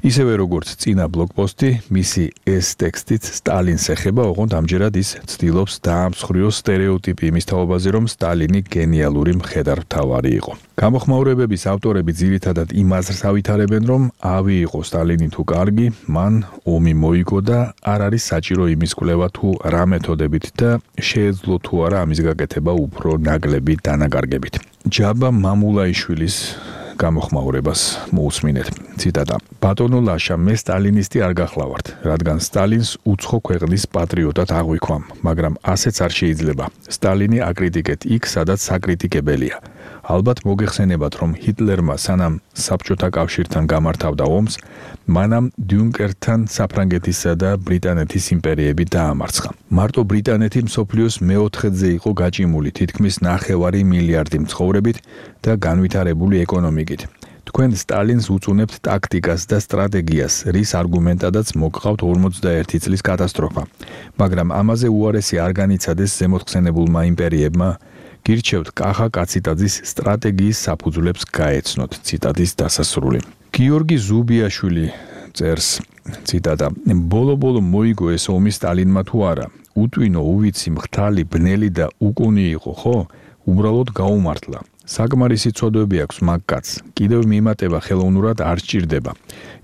ისევე როგორც წინა ბლოგპოსტი, მისი ეს ტექსტიც სტალინს ეხება, ოღონდ ამჯერად ის ცდილობს დაამსხვრიოს სტერეოტიპი იმის თაობაზე, რომ სტალინი გენიალური მხედართმთავარი იყო. გამოხმაურებების ავტორები ძირითადად იმ აზრს ავითარებენ, რომ ავი იყო სტალინი თუ კარგი, მან ომი მოიგო და არ არის საჭირო იმის კვლევა თუ რა მეთოდებით და შეეძლო თუ არა ამის გაკეთება უფრო ნაკლები დანაკარგებით. ჯაბა მამულაიშვილის გამოხმაურებას მოусმინეთ. ციტატა: ბატონო ლაშა, მე სტალინისტი არ გახლავართ, რადგან სტალინს უცხო ქვეყნის პატრიოტად აღვიქვამ, მაგრამ ასეც არ შეიძლება. სტალინი აკრიტიკეთ იქ, სადაც საკრიტიკებელია. ალბათ მოგეხსენებათ, რომ ჰიტლერმა სანამ საბჭოთა კავშირთან გამართავდა ომს, მანამ დიუნკერკთან საფრანგეთისა და ბრიტანეთის იმპერიები დაამარცხა. მარტო ბრიტანეთი მსოფლიოს მეოთხედზე იყო გაჭიმული თითქმის 9 მილიარდი მცხოვრებით და განვითარებული ეკონომიკით. თქვენ სტალინს უწუნებთ ტაქტიკას და სტრატეგიას, რის არგუმენტადაც მოგყავთ 41 წლის კატასტროფა. მაგრამ ამაზე უარესი არ განიცადეს ზემოთხსენებულმა იმპერიებმა, გირჩევთ კახა კაციტაძის სტრატეგიის საფუძვლებს გაეცნოთ. ციტატის დასასრული. გიორგი ზუბიაშვილი წერს, ციტატა: ბოლო-ბოლო მოიგო ეს ომი სტალინმა თუ არა? უტვინო, უვიცი, მხთალი, ბნელი და უკუნი იყო, ხო? უბრალოდ გაუმართლა. საკმარისი ცოდვები აქვს მაგკაც. კიდევ მიმატება ხელოვნურად არ სჭირდება.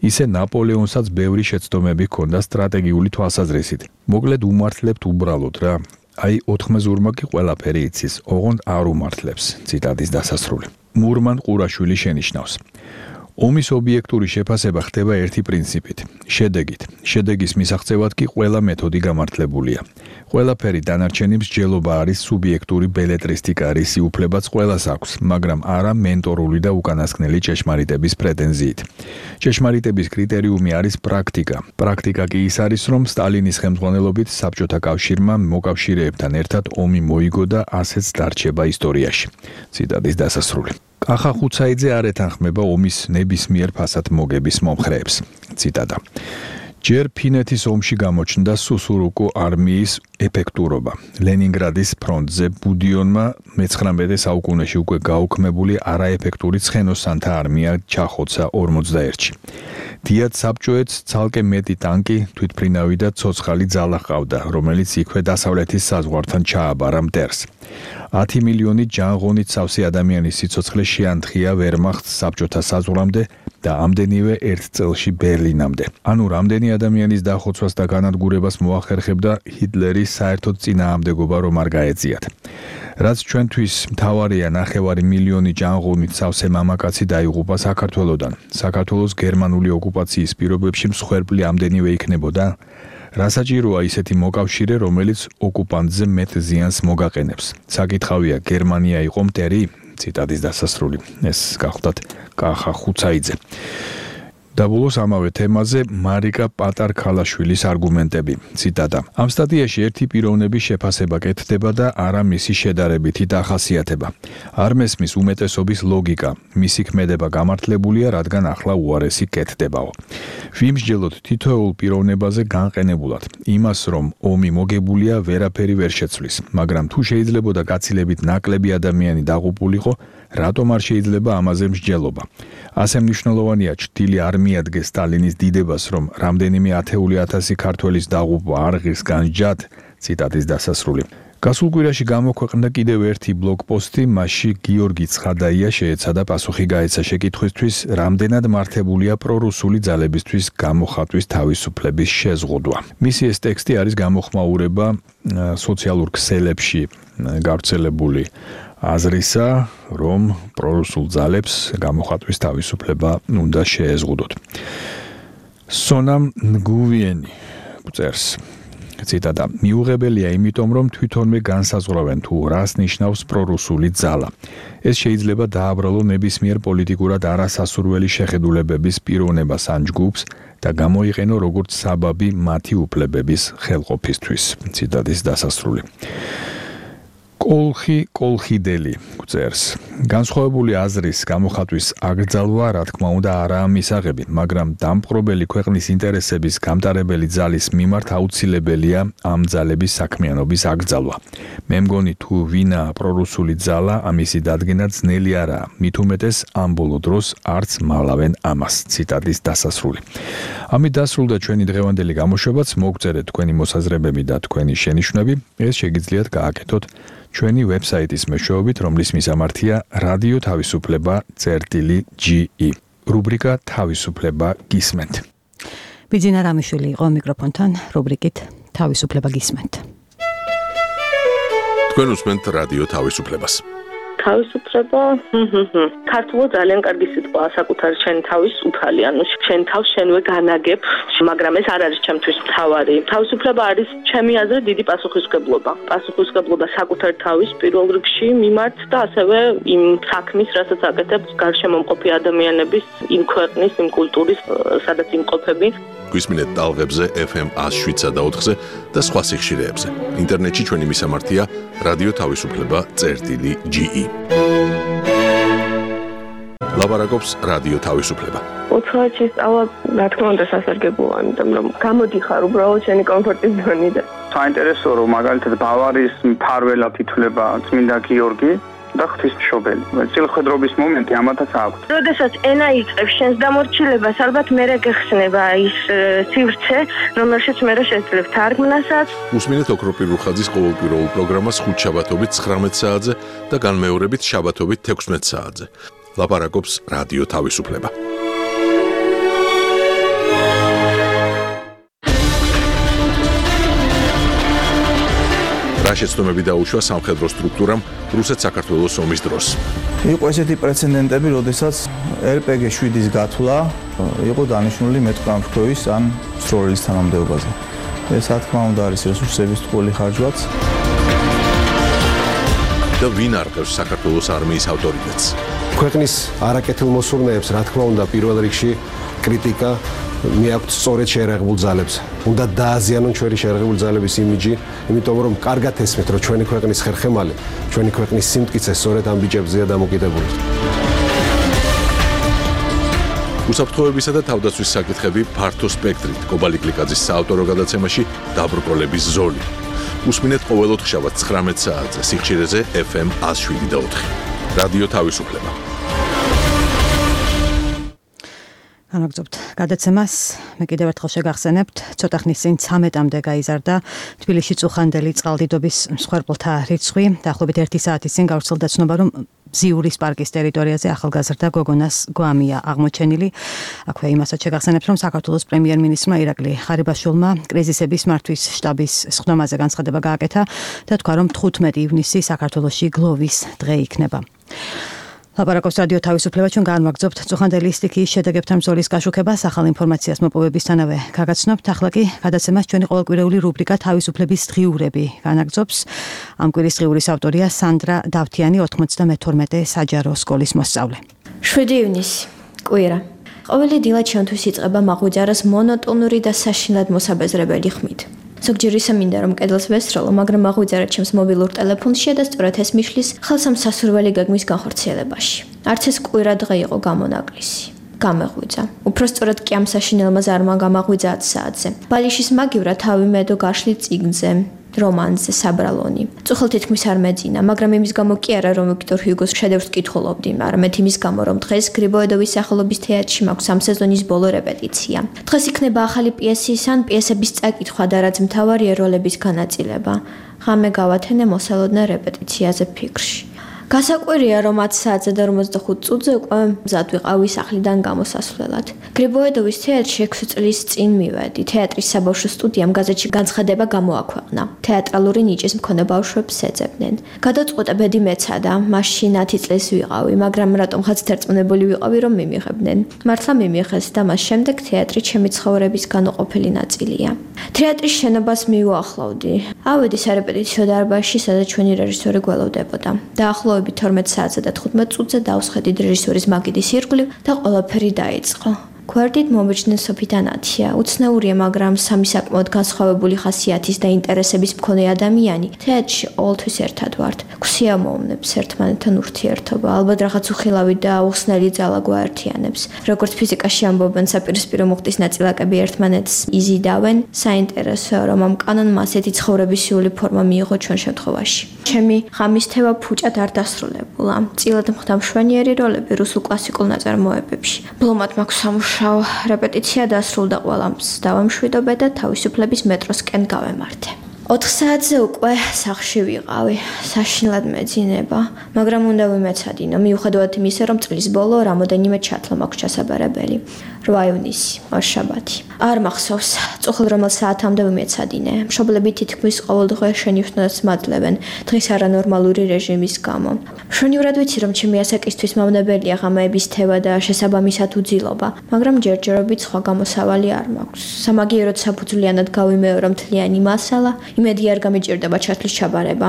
ისე ნაპოლეონსაც ბევრი შეცდომები ჰქონდა სტრატეგიული თვალსაზრისით. მოკლედ უმართლებთ უბრალოდ რა. აი 4-მეზურმა კი ყველაფერი იცის, ოღონდ არ უმართლებს. ციტატის დასასრული. მურმან ყურაშვილი შენიშნავს: ომის ობიექტური შეფასება ხდება ერთი პრინციპით, შედეგით. შედეგის მისაღწევად კი ყველა მეთოდი გამართლებულია. ყველაფერი დანარჩენი მსჯელობა არის სუბიექტური ბელეტრისტიკა, რისი უფლებაც ყველას აქვს, მაგრამ არა მენტორული და უკანასკნელი ჭეშმარიტების პრეტენზიით. ჭეშმარიტების კრიტერიუმი არის პრაქტიკა. პრაქტიკა კი ის არის, რომ სტალინის ხელმძღვანელობით საბჭოთა კავშირმა მოკავშირეებთან ერთად ომი მოიგო და ასეც დარჩება ისტორიაში. ციტატის დასასრული. კახა ხუცაიძე არ ეთანხმება ომის ნებისმიერ ფასად მოგების მომხრეებს. ციტატა: ჯერ ფინეთის ომში გამოჩნდა სუსურუკუ არმიის ეფექტურობა. ლენინგრადის ფრონტზე ბუდიონმა მე-19 საუკუნეში უკვე გაუქმებული არაეფექტური ცხენოსანთა არმია ჩახოცა 41-ში. დიად საბჭოეთს ცალკე მეტი ტანკი, თვითმფრინავი და ცოცხალი ძალა ჰყავდა, რომელიც იქვე დასავლეთის საზღვართან ჩააბარა მტერს. 10 მილიონი ჯანღონით სავსე ადამიანის სიცოცხლე შეანთხია ვერმახტს საბჭოთა საზღვრამდე და ამდენივე ერთ წელში ბერლინამდე. ანუ რამდენი ადამიანის დახოცვას და განადგურებას მოახერხებდა ჰიტლერის საერთოდ წინააღმდეგობა რომ არ გაეწიათ. რაც ჩვენთვის მთავარია 9 მილიონი ჯანღონით სავსე მამაკაცი დაიღუპა საქართველოდან. საქართველოს გერმანული ოკუპაციის პირობებში მსხვერპლი ამდენივე იქნებოდა. რასაჭიროა ისეთი მოკავშირე, რომელიც ოკუპანტზე მეტ ზიანს მოგაყენებს. საკითხავია, გერმანია იყო მტერი? ციტატის დასასრული. ეს გახლდათ კახა ხუცაიძე. და ბოლოს ამავე თემაზე მარიკა პატარ-ქალაშვილის არგუმენტები. ციტატა. ამ სტატიაში ერთი პიროვნების შეფასება კეთდება და არა მისი შედარებითი დახასიათება. არ მესმის უმეტესობის ლოგიკა. მისი ქმედება გამართლებულია, რადგან ახლა უარესი კეთდებაო. ვიმსჯელოთ თითოეულ პიროვნებაზე განყენებულად. იმას, რომ ომი მოგებულია, ვერაფერი ვერ შეცვლის, მაგრამ თუ შეიძლებოდა გაცილებით ნაკლები ადამიანი დაღუპულიყო, რატომ არ შეიძლება ამაზე მსჯელობა? ასე მნიშვნელოვანია ჩრდილი არ მიადგეს სტალინის დიდებას, რომ რამდენიმე ათეული ათასი ქართველის დაღუპვა არ ღირს განსჯად, ციტატის დასასრული. გასულ კვირაში გამოქვეყნდა კიდევ ერთი ბლოგპოსტი, მასში გიორგი ცხადაია შეეცადა პასუხი გაეცა შეკითხვისთვის, რამდენად მართებულია პრორუსული ძალებისთვის გამოხატვის თავისუფლების შეზღუდვა. მისი ეს ტექსტი არის გამოხმაურება სოციალურ ქსელებში გავრცელებული აზრისა, რომ პრორუსულ ძალებს გამოხატვის თავისუფლება უნდა შეეზღუდოთ. სონამ ნგუვიენი წერს. ციტატა. მიუღებელია იმიტომ, რომ თვითონვე განსაზღვრავენ თუ რას ნიშნავს პრორუსული ძალა. ეს შეიძლება დააბრალო ნებისმიერ პოლიტიკურად არასასურველი შეხედულებების პიროვნებას ან ჯგუფს და გამოიყენო როგორც საბაბი მათი უფლებების ხელყოფისთვის. ციტატის დასასრული. კოლხიდელი წერს. განსხვავებული აზრის გამოხატვის აკრძალვა, რა თქმა უნდა, არაა მისაღები, მაგრამ დამპყრობელი ქვეყნის ინტერესების გამტარებელი ძალის მიმართ აუცილებელია ამ ძალების საქმიანობის აკრძალვა. მე მგონი თუ ვინა პრორუსული ძალა, ამისი დადგენა ძნელი არაა. მით უმეტეს ამ ბოლო დროს არც მალავენ ამას. ციტატის დასასრული. ამით დასრულდა ჩვენი დღევანდელი გამოშვებაც. მოგწერეთ თქვენი მოსაზრებები და თქვენი შენიშვნები. ეს შეგიძლიათ გააკეთოთ ჩვენი ვებსაიტის მეშვეობით, რომლის მისამართია რადიო თავისუფლება.ge. რუბრიკა თავისუფლება გისმენთ. ბიძინა რამიშვილი იყო მიკროფონთან რუბრიკით თავისუფლება გისმენთ. თქვენ უსმენთ რადიო თავისუფლებას. თავისუფლება ქართულად ძალიან კარგი სიტყვაა, საკუთარი შენი თავის უფალი, ანუ შენ თავს შენვე განაგებ, მაგრამ ეს არ არის ჩემთვის მთავარი. თავისუფლება არის ჩემი აზრით დიდი პასუხისმგებლობა. პასუხისმგებლობა საკუთარი თავის პირველ რიგში მიმართ და ასევე იმ საქმის, რასაც აკეთებს გარშემო მყოფი ადამიანების, იმ ქვეყნის, იმ კულტურის, სადაც იმყოფები. გვისმინეთ ტალღებზე FM 107.4-ზე და სხვა სიხშირეებზე. ინტერნეტში ჩვენი მისამართია რადიო თავისუფლება.ge. ლაბარაკობს რადიო თავისუფლება. უცხოეთში სწავლა, რა თქმა უნდა, სასარგებლოა, იმიტომ რომ გამოდიხარ უბრალოდ შენი კომფორტის ზონიდან. საინტერესოა, რომ მაგალითად ბავარიის მფარველად ითვლება წმინდა გიორგი და ღვთისმშობელი. წილხვედრობის მომენტი ამათაც აქვს. როდესაც ენა იწყებს შენს დამორჩილებას, ალბათ მერე გეხსნება ის სივრცე, რომელშიც მერე შეძლებ თარგმნასაც. უსმინეთ ოქროპირ რუხაძის ყოველკვირეულ პროგრამას ხუთშაბათობით 19 საათზე და განმეორებით შაბათობით 16 საათზე. ლაპარაკობს რადიო თავისუფლება. რა შეცდომები დაუშვა სამხედრო სტრუქტურამ რუსეთ-საქართველოს ომის დროს. იყო ესეთი პრეცედენტები, როდესაც RPG 7-ის გათვლა იყო დანიშნული მეტყამშქოვის ან სროლის თანამდებობაზე. ეს რა თქმა უნდა არის რესურსების ტყუილი ხარჯვაც. და ვინ არყევს საქართველოს არმიის ავტორიტეტს? ქვეყნის არაკეთილ მოსურნეებს რა თქმა უნდა პირველ რიგში კრიტიკა მიაქვთ სწორედ შეერაღებულ ძალებს. უნდა დააზიანონ ჩვენი შეერაღებული ძალების იმიჯი, იმიტომ რომ კარგად ესმით, რომ ჩვენი ქვეყნის ხერხემალი, ჩვენი ქვეყნის სიმტკიცე სწორედ ამ ბიჭებზეა დამოკიდებული. უსაფრთხოებისა და თავდაცვის საკითხები ფართო სპექტრით კობალი კლიკაძის საავტორო გადაცემაში დაბრკოლების ზოლი. უსმინეთ ყოველ ოთხშაბათს 19 საათზე სიხშირეზე FM 107.4. რადიო თავისუფლება. განაგრძობთ გადაცემას. მე კიდევ ერთხელ შეგახსენებთ, ცოტა ხნის წინ 13-მდე გაიზარდა თბილისში წუხანდელი წყალდიდობის მსხვერპლთა რიცხვი. დაახლოებით 1 საათის წინ გავრცელდა ცნობა, რომ ზიურის პარკის ტერიტორიაზე ახალგაზრდა გოგონას გვამია აღმოჩენილი. აქვე იმასაც შეგახსენებთ, რომ საქართველოს პრემიერ-მინისტრმა ირაკლი ღარიბაშვილმა კრიზისების მართვის შტაბის სხდომაზე განცხადება გააკეთა და თქვა, რომ 15 ივნისი საქართველოში გლოვის დღე იქნება. ლაპარაკობს რადიო თავისუფლება, ჩვენ განვაგრძობთ წუხანდელი სტიქიის შედეგებთან ბრძოლის გაშუქებას, ახალ ინფორმაციას მოპოვებისთანავე გაგაცნობთ. ახლა კი გადაცემას ჩვენი ყოველკვირეული რუბრიკა თავისუფლების დღიურები განაგრძობს. ამ კვირის დღიურის ავტორია სანდრა დავთიანი, 92 საჯარო სკოლის მოსწავლე. 7 ივნისი, კვირა. ყოველი დილა ჩვენთვის იწყება მაღვიძარას მონოტონური და საშინლად მოსაბეზრებელი ხმით. ზოგჯერ ისე მინდა რომ კედელს ვესროლო, მაგრამ აღვიძარა ჩემს მობილურ ტელეფონში და სწორედ ეს მიშლის ხელს ამ სასურველი გეგმის განხორციელებაში. არც ეს კვირა დღე იყო გამონაკლისი. გამეღვიძა. უფრო სწორად კი ამ საშინელმა ზარმა გამაღვიძა 10 საათზე. ბალიშის მაგივრა თავი მედო გაშლი წიგნზე, რომანზე საბრალონი. წუხელ თითქმის არ მეძინა, მაგრამ იმის გამო კი არა რომ ვიქტორ ჰიუგოს შედევრს კითხულობდი, არამედ იმის გამო რომ დღეს გრიბოედოვის სახელობის თეატრში მაქვს ამ სეზონის ბოლო რეპეტიცია. დღეს იქნება ახალი პიესის ან პიესების წაკითხვა და რაც მთავარია როლების განაწილება. ღამე გავათენე მოსალოდნელ რეპეტიციაზე ფიქრში. გასაკვირია რომ 10 საათზე და 45 წუთზე უკვე მზად ვიყავი სახლიდან გამოსასვლელად. გრიბოედოვის თეატრში 6 წლის წინ მივედი. თეატრის საბავშვო სტუდიამ გაზეთში განცხადება გამოაქვეყნა. თეატრალური ნიჭის მქონე ბავშვებს ეძებდნენ. გადაწყვეტა ბედი მეცადა, მაშინ 10 წლის ვიყავი, მაგრამ რატომღაც დარწმუნებული ვიყავი რომ მიმიღებდნენ. მართლა მიმიღეს და მას შემდეგ თეატრი ჩემი ცხოვრების განუყოფელი ნაწილია. თეატრის შენობას მივუახლოვდი. ავედი სარეპეტიციო დარბაზში, სადაც ჩვენი რეჟისორი გველოდებოდა. დაახლოებით 12 საათზე და 15 წუთზე დავსხედით რეჟისორის მაგიდის ირგვლივ და ყველაფერი დაიწყო. გვერდით მომიჯდნენ სოფი და ნათია. უცნაურია, მაგრამ სამი საკმაოდ განსხვავებული ხასიათის და ინტერესების მქონე ადამიანი თეატრში ყოველთვის ერთად ვართ. გვსიამოვნებს ერთმანეთთან ურთიერთობა, ალბათ რაღაც უხილავი და უხსნელი ძალა გვაერთიანებს. როგორც ფიზიკაში ამბობენ, საპირისპირო მუხტის ნაწილაკები ერთმანეთს იზიდავენ, საინტერესოა, რომ ამ კანონმა ასეთი ცხოვრებისეული ფორმა მიიღო ჩვენ შემთხვევაში. ჩემი ღამის თევა ფუჭად არ დასრულებულა. წილად მხდა მშვენიერი როლები რუსულ კლასიკურ ნაწარმოებებში. ბლომად მაქვს სამუშაო, რეპეტიცია დასრულდა ყველამს. დავამშვიდობე და თავისუფლების მეტროსკენ გავემართე. 4 საათზე უკვე სახლში ვიყავი. საშინლად მეძინება, მაგრამ უნდა ვიმეცადინო, მიუხედავად იმისა, რომ წლის ბოლო რამოდენიმე ჩათვლა მაქვს ჩასაბარებელი. 8 ივნისი, ორშაბათი. არ მახსოვს, წუხელ რომელ საათამდე ვიმეცადინე. მშობლები თითქმის ყოველ დღე შენიშვნას მაძლევენ დღის არანორმალური რეჟიმის გამო. მშვენივრად ვიცი, რომ ჩემი ასაკისთვის მავნებელია ღამეების თევა და შესაბამისად უძილობა, მაგრამ ჯერჯერობით სხვა გამოსავალი არ მაქვს. სამაგიეროდ საფუძვლიანად გავიმეორო მთლიანი მასალა, იმედი არ გამიჭირდება ჩათვლის ჩაბარება.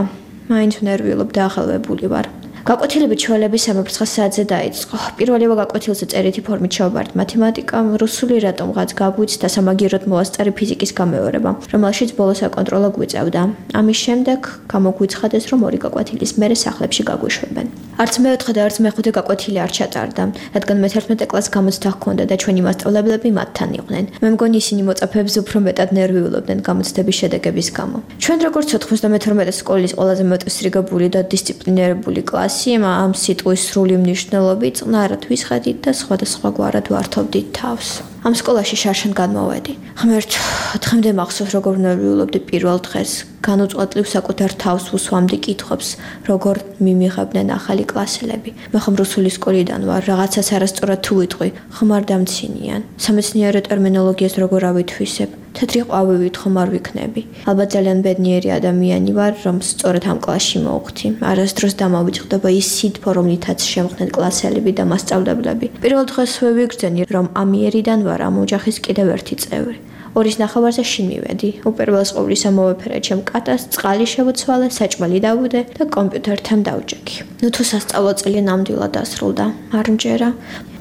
მაინც ვნერვიულობ და ახალვებული ვარ. გაკვეთილები ჩვენების 3 საათზე დაიწყო. პირველივე გაკვეთილზე წერითი ფორმით შევაბართ მათემატიკა, რუსული რატომღაც გაგვიც და სამაგიეროდ მოვასწარი ფიზიკის გამეორება, რომელშიც ბოლოს აკონტროლო გვიწევდა. ამის შემდეგ გამოგვიცხადეს, რომ 2 გაკვეთილის მერე სახლებში გაგვიშვებენ. არც მე-4 და არც მე-5 გაკვეთილი არ ჩატარდა, რადგან მე-11 კლასს გამოცდა ჰქონდა და ჩვენი მასწავლებლები მათთან იყვნენ. მე მგონი ისინი მოწაფეებს უფრო მეტად ნერვიულობდნენ გამოცდების შედეგების გამო. ჩვენ როგორც 92 სკოლის ყველაზე მეტსრიგებული და დისციპლინირებული კლასი ამ სიტყვის სრული მნიშვნელობით წნარად ვისხედით და სხვადასხვაგვარად ვართობდით თავს. ამ სკოლაში შარშან განმოვედი. ღმერთ, დღემდე მახსოვს როგორ ნერვიულობდი პირველ დღეს. განუწყვეტლივ საკუთარ თავს უსვამდი კითხვებს, როგორ მიმიღებდნენ ახალი კლასელები. მე ხომ რუსული სკოლიდან ვარ, რაღაცას არასწორად თუ ვიტყვი, ხმარ დამცინიან. სამეცნიერო ტერმინოლოგიას როგორ ავითვისებ? თეთრი ყვავივით ხომ არ ვიქნები. ალბათ ძალიან ბედნიერი ადამიანი ვარ, რომ სწორედ ამ კლასში მოვხვდი. არასდროს დამავიწყდება ის სითბო, რომლითაც შემხდნენ კლასელები და მასწავლებლები. პირველ დღესვე ვიგრძენი, რომ ამიერიდან ვარ ამ ოჯახის კიდევ ერთი წევრი. 2-ის ნახევარზე შინ მივედი. უპირველეს ყოვლისა მოვეფერე ჩემ კატას, წყალი შევოცვალე, საჭმელი დავუდე და კომპიუტერთან დავჭექი. ნუ თუ სასწავლო წელი ნამდვილად დასრულდა. არ მჯერა.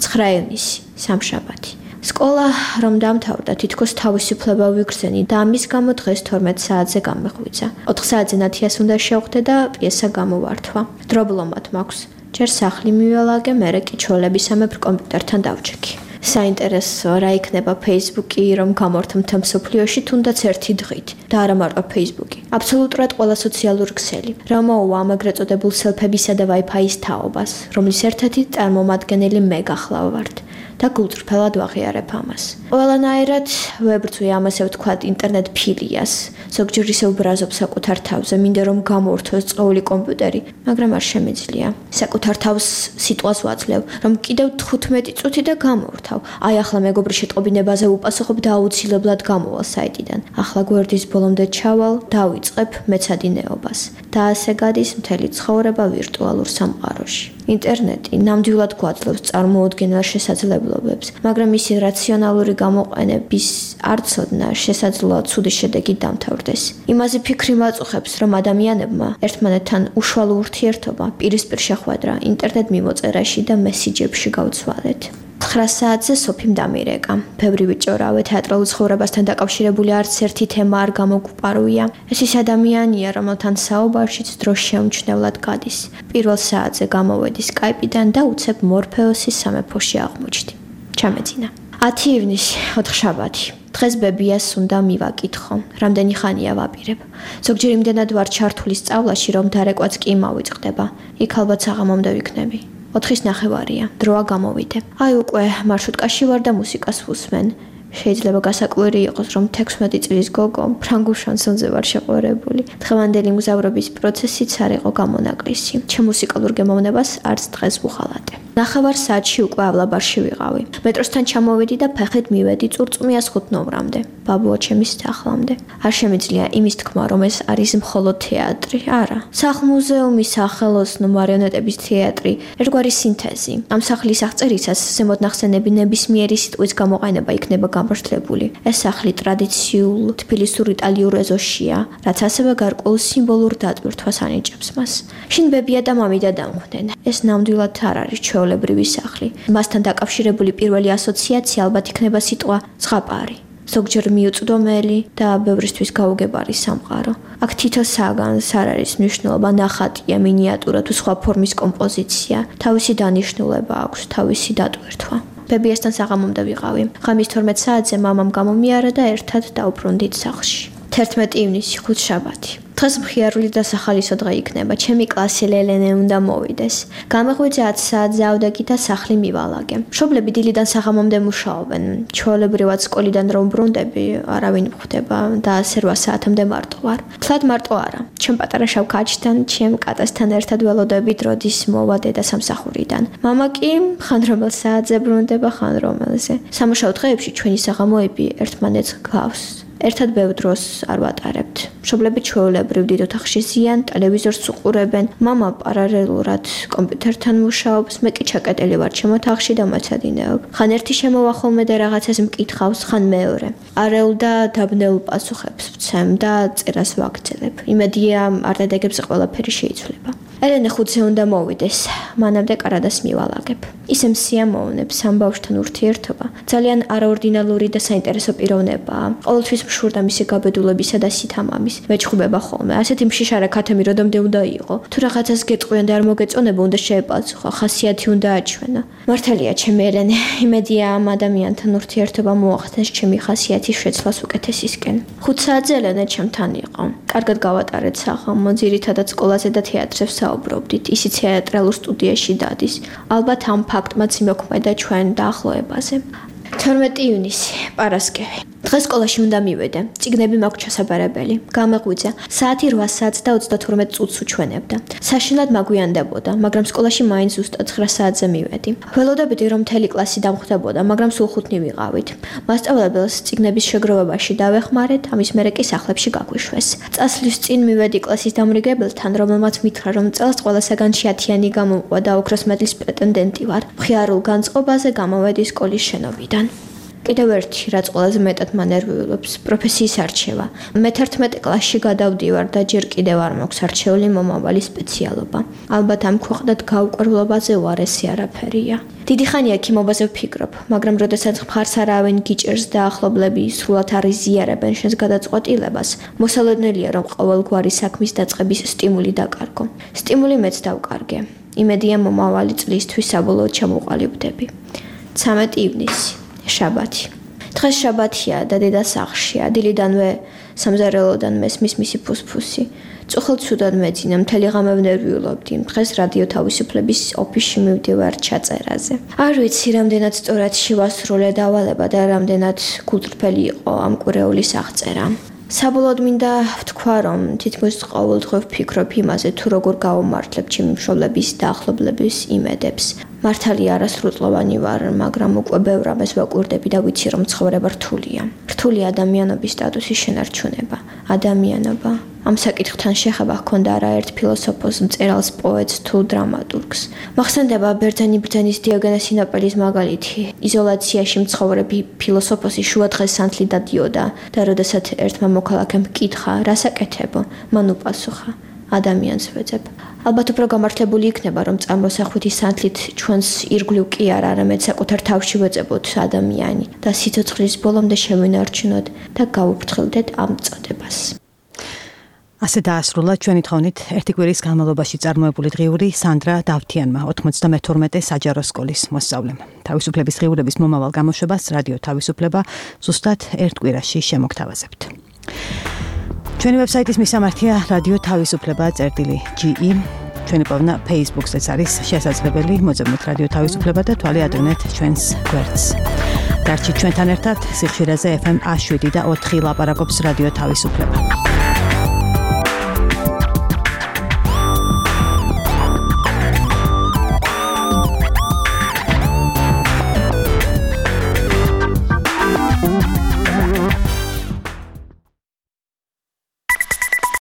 9 ივნისი, სამშაბათი. სკოლა რომ დამთავრდა, თითქოს თავისუფლება ვიგრძენი და ამის გამო დღეს 12 საათზე გამეღვიძა. 4 საათზე ნათიას უნდა შევხვდე და პიესა გამოვართვა. დრობლომად მაქვს. ჯერ სახლი მიველაგე, მერე კი ჩოლებისამებრ კომპიუტერთან დავჭექი. საინტერესო რა იქნება Facebook-ი, რომ გამორთმთა მსოფლიოში თუნდაც ერთი დღით და არა მარტო Facebook-ი. აბსოლუტურად ყველა სოციალური ქსელი, რა მოუვა ამ ეგრეთ წოდებულ სელფებისა და Wi-Fi-ის თაობას, რომლის ერთ-ერთი წარმომადგენელი მე გახლავ ვართ. და გულწრფელად ვაღიარებ ამას. ყველანაირად ვებრძვი ამასე ვთქვათ ინტერნეტ ფილიას. ზოგჯერ ისე უბრაზობ საკუთარ თავზე, მინდა რომ გამორთოს წვეული კომპიუტერი, მაგრამ არ შემიძლია. საკუთარ თავს სიტყვას ვაძლევ, რომ კიდევ 15 წუთი და გამორთავ. აი ახლა მეგობრის შეტყობინებაზე უპასუხობ და აუცილებლად გამოვალ საიტიდან. ახლა გვერდის ბოლომდე ჩავალ, დავიწყებ მეცადინეობას. და ასე გადის მთელი ცხოვრება ვირტუალურ სამყაროში. ინტერნეტი ნამდვილად გვაძლევს წარმოუდგენელ შესაძლებლობებს, მაგრამ მისი რაციონალური გამოყენების არცოდნა შესაძლოა ცუდი შედეგით დამთავრდეს. იმაზე ფიქრი მაწუხებს, რომ ადამიანებმა ერთმანეთთან უშუალო ურთიერთობა, პირისპირ შეხვედრა, ინტერნეტ მიმოწერაში და მესიჯებში გავცვალეთ. 9 საათზე სოფიმ დამირეკა. ბევრი ვიჭორავე, თეატრალურ ცხოვრებასთან დაკავშირებული არც ერთი თემა არ გამოგვპარვია. ეს ის ადამიანია, რომელთან საუბარშიც დრო შეუმჩნევლად გადის. პირველ საათზე გამოვედი Skype-დან და უცებ მორფეოსის სამეფოში აღმოჩნდი. ჩამეძინა. 10 ივნისი, 4 შაბათი. დღეს ბებიას უნდა მივაკითხო. რამდენი ხანია ვაპირებ. ზოგჯერ იმდენად ვარ ჩართული სწავლაში, რომ დარეკვაც კი მოვიწყდება. იქ ალბათ საღამომდე ვიქნები. 4:30-ია, დროა გამოვიდე. აი უკვე მარშრუტკაში ვარ და მუსიკას ვუსმენ. შეიძლება გასაკვირი იყოს, რომ 16 წლის გოგო ფრანგულ შანსონზე ვარ შეყვარებული. დღევანდელი მგზავრობის პროცესიც არ იყო გამონაკლისი. ჩემ მუსიკალურ გემოვნებას არც დღეს ვუხალატე. 9 საათში უკვე ავლაბარში ვიყავი. მეტროსთან ჩამოვიდი და ფეხით მივედი წურწუმიას 5 ნომრამდე, ბაბუა ჩემის სახლამდე. არ შემიძლია იმის თქმა, რომ ეს არის მხოლოდ თეატრი. არა. სახლ-მუზეუმი, სახელოსნო მარიონეტების თეატრი, ერთგვარი სინთეზი. ამ სახლის აღწერისას ზემოთ ნახსენები ნებისმიერი სიტყვის გამოყენება იქნება გამართლებული. ეს სახლი ტრადიციულ თბილისურ იტალიურ ეზოშია, რაც ასევე გარკვეულ სიმბოლურ დატვირთვას ანიჭებს მას. შინ ბებია და მამიდა დამხვდნენ. ეს ნამდვილად არ არის ჩვეულებრივი სახლი. მასთან დაკავშირებული პირველი ასოციაცია ალბათ იქნება სიტყვა ზღაპარი. ზოგჯერ მიუწვდომელი და ბევრისთვის გაუგებარი სამყარო. აქ თითო საგანს არ არის მნიშვნელობა, ნახატია, მინიატურა თუ სხვა ფორმის კომპოზიცია. თავისი დანიშნულება აქვს, თავისი დატვირთვა. ბებიასთან საღამომდე ვიყავი. ღამის 12 საათზე მამამ გამომიარა და ერთად დავბრუნდით სახლში. 11 ივნისი, 5 შაბათი. დღეს მხიარული და სახალისო დღე იქნება. ჩემი კლასი ლელენე უნდა მოვიდეს. გამეღვიძე 10 საათზე ავდეგი და სახლი მივალაგე. მშობლები დილიდან საღამომდე მუშაობენ. ჩვეულებრივად სკოლიდან რომ ბრუნდები, არავინ მხვდება და ასე 8 საათამდე მარტო ვარ. თლად მარტო არა. ჩემ პატარა შავ კაჩთან, ჩემ კატასთან ერთად ველოდებით როდის მოვა დედა სამსახურიდან. მამა კი ხან რომელ საათზე ბრუნდება, ხან რომელზე. სამუშაო დღეებში ჩვენი საღამოები ერთმანეთს გავს. ერთად ბევრ დროს არ ვატარებთ. მშობლები ჩვეულებრივ დიდ ოთახში ზიან, ტელევიზორს უყურებენ. მამა პარალელურად კომპიუტერთან მუშაობს, მე კი ჩაკეტილი ვარ ჩემ ოთახში და მეცადინეობ. ხან ერთი შემოვა ხოლმე და რაღაცას მკითხავს, ხან მეორე. არეულ და დაბნეულ პასუხებს ვცემ და წერას ვაგრძელებ. იმედია არ დადეგებზე ყველაფერი შეიცვლება. ელენე 5-ზე უნდა მოვიდეს, მანამდე კარადას მივალაგებ. ისე მსიამოვნებს ამ ბავშვთან ურთიერთობა. ძალიან არაორდინალური და საინტერესო პიროვნებაა. ყოველთვის მშურდა მისი გაბედულებისა და სითამამის. მეჩხუბება ხოლმე. ასეთი მშიშარა ქათემი როდომდე უნდა იყო. თუ რაღაცას გეტყვიან და არ მოგეწონება, უნდა შეეპასუხო, ხასიათი უნდა აჩვენო. მართალია, ჩემი ელენე, იმედია ამ ადამიანთან ურთიერთობა მოახდენს ჩემი ხასიათის შეცვლას უკეთესისკენ. 5 საათზე ელენე ჩემთან იყო. კარგად გავატარეთ საღამო, ძირითადად სკოლაზე და თეატრებს საუბრობდით. ისიც თეატრალურ სტუდიაში დადის. ალბათ ამ ფაქტმაც იმოქმედა ჩვენ დაახლოებაზე. 12 ივნისი, პარასკევი. დღეს სკოლაში უნდა მივედე. წიგნები მაქვს ჩასაბარებელი. გამეღვიძა. საათი 8 საათს და 32 წუთს უჩვენებდა. საშინლად მაგვიანდებოდა, მაგრამ სკოლაში მაინც ზუსტად 9 საათზე მივედი. ველოდებდი, რომ მთელი კლასი დამხვდებოდა, მაგრამ სულ 5 ვიყავით. მასწავლებელს წიგნების შეგროვებაში დავეხმარეთ, ამის მერე კი სახლებში გაგვიშვეს. წასვლის წინ მივედი კლასის დამრიგებელთან, რომელმაც მითხრა, რომ წელს ყველასაგან 10-იანი გამომყვა და ოქროს მედლის პრეტენდენტი ვარ. მხიარულ განწყობაზე გამოვედი სკოლის შენობიდან. კიდევ ერთი, რაც ყველაზე მეტად მანერვიულობს, პროფესიის არჩევა. მე 11 კლასში გადავდივარ და ჯერ კიდევ არ მაქვს არჩეული მომავალი სპეციალობა. ალბათ ამ ქვეყნად გაუკვირვებაზე უარესი არაფერია. დიდი ხანია ქიმობაზე ვფიქრობ, მაგრამ როდესაც მხარს არავინ გიჭერს და ახლობლები სრულად არ იზიარებენ შენს გადაწყვეტილებას, მოსალოდნელია, რომ ყოველგვარი საქმის დაწყების სტიმული დაკარგო. სტიმული მეც დავკარგე. იმედია მომავალი წლისთვის საბოლოოდ ჩამოყალიბდები. 13 ივნისი, შაბათი. დღეს შაბათია და დედა სახლშია. დილიდანვე სამზარეულოდან მესმის მისი ფუსფუსი. წუხელ ცუდად მეძინა, მთელი ღამე ვნერვიულობდი. დღეს რადიო თავისუფლების ოფისში მივდივარ ჩაწერაზე. არ ვიცი, რამდენად სწორად შევასრულე დავალება და რამდენად გულწრფელი იყო ამ კვირეულის აღწერა. საბოლოოდ მინდა ვთქვა, რომ თითქმის ყოველდღე ვფიქრობ იმაზე, თუ როგორ გავუმართლებ ჩემი მშობლების და ახლობლების იმედებს. მართალია არასრულწლოვანი ვარ, მაგრამ უკვე ბევრ რამეს ვაკვირდები და ვიცი, რომ ცხოვრება რთულია. რთულია ადამიანობის სტატუსის შენარჩუნება. ადამიანობა. ამ საკითხთან შეხება ჰქონდა არაერთ ფილოსოფოს, მწერალს, პოეტს თუ დრამატურგს. მახსენდება ბერძენი ბრძენის დიოგენეს სინოპელის მაგალითი. იზოლაციაში მცხოვრები ფილოსოფოსი შუადღეს სანთლი დადიოდა და როდესაც ერთმა მოქალაქემ ჰკითხა, რას აკეთებო, მან უპასუხა, ადამიანს ვეძებ. ალბათ უფრო გამართლებული იქნება, რომ წამოსახვითი სანთლით ჩვენს ირგვლივ კი არა, არამედ საკუთარ თავში ვეძებოთ ადამიანი და სიცოცხლის ბოლომდე შევინარჩუნოთ და გავუფრთხილდეთ ამ წოდებას. ასე დაასრულა ჩვენი თხოვნით ერთი კვირის განმავლობაში წარმოებული დღიური სანდრა დავთიანმა 92 საჯარო სკოლის მოსწავლემ. თავისუფლების დღიურების მომავალ გამოშვებას რადიო თავისუფლება ზუსტად ერთ კვირაში შემოგთავაზებთ. ჩვენი ვებსაიტის მისამართია რადიო თავისუფლება.ge. ჩვენი პოვნა Facebook-ზეც არის შესაძლებელი. მოძებნეთ რადიო თავისუფლება და თვალი ადევნეთ ჩვენს გვერდს. დარჩით ჩვენთან ერთად სიხშირეზე FM 7 და 4 ლაპარაკობს რადიო თავისუფლება.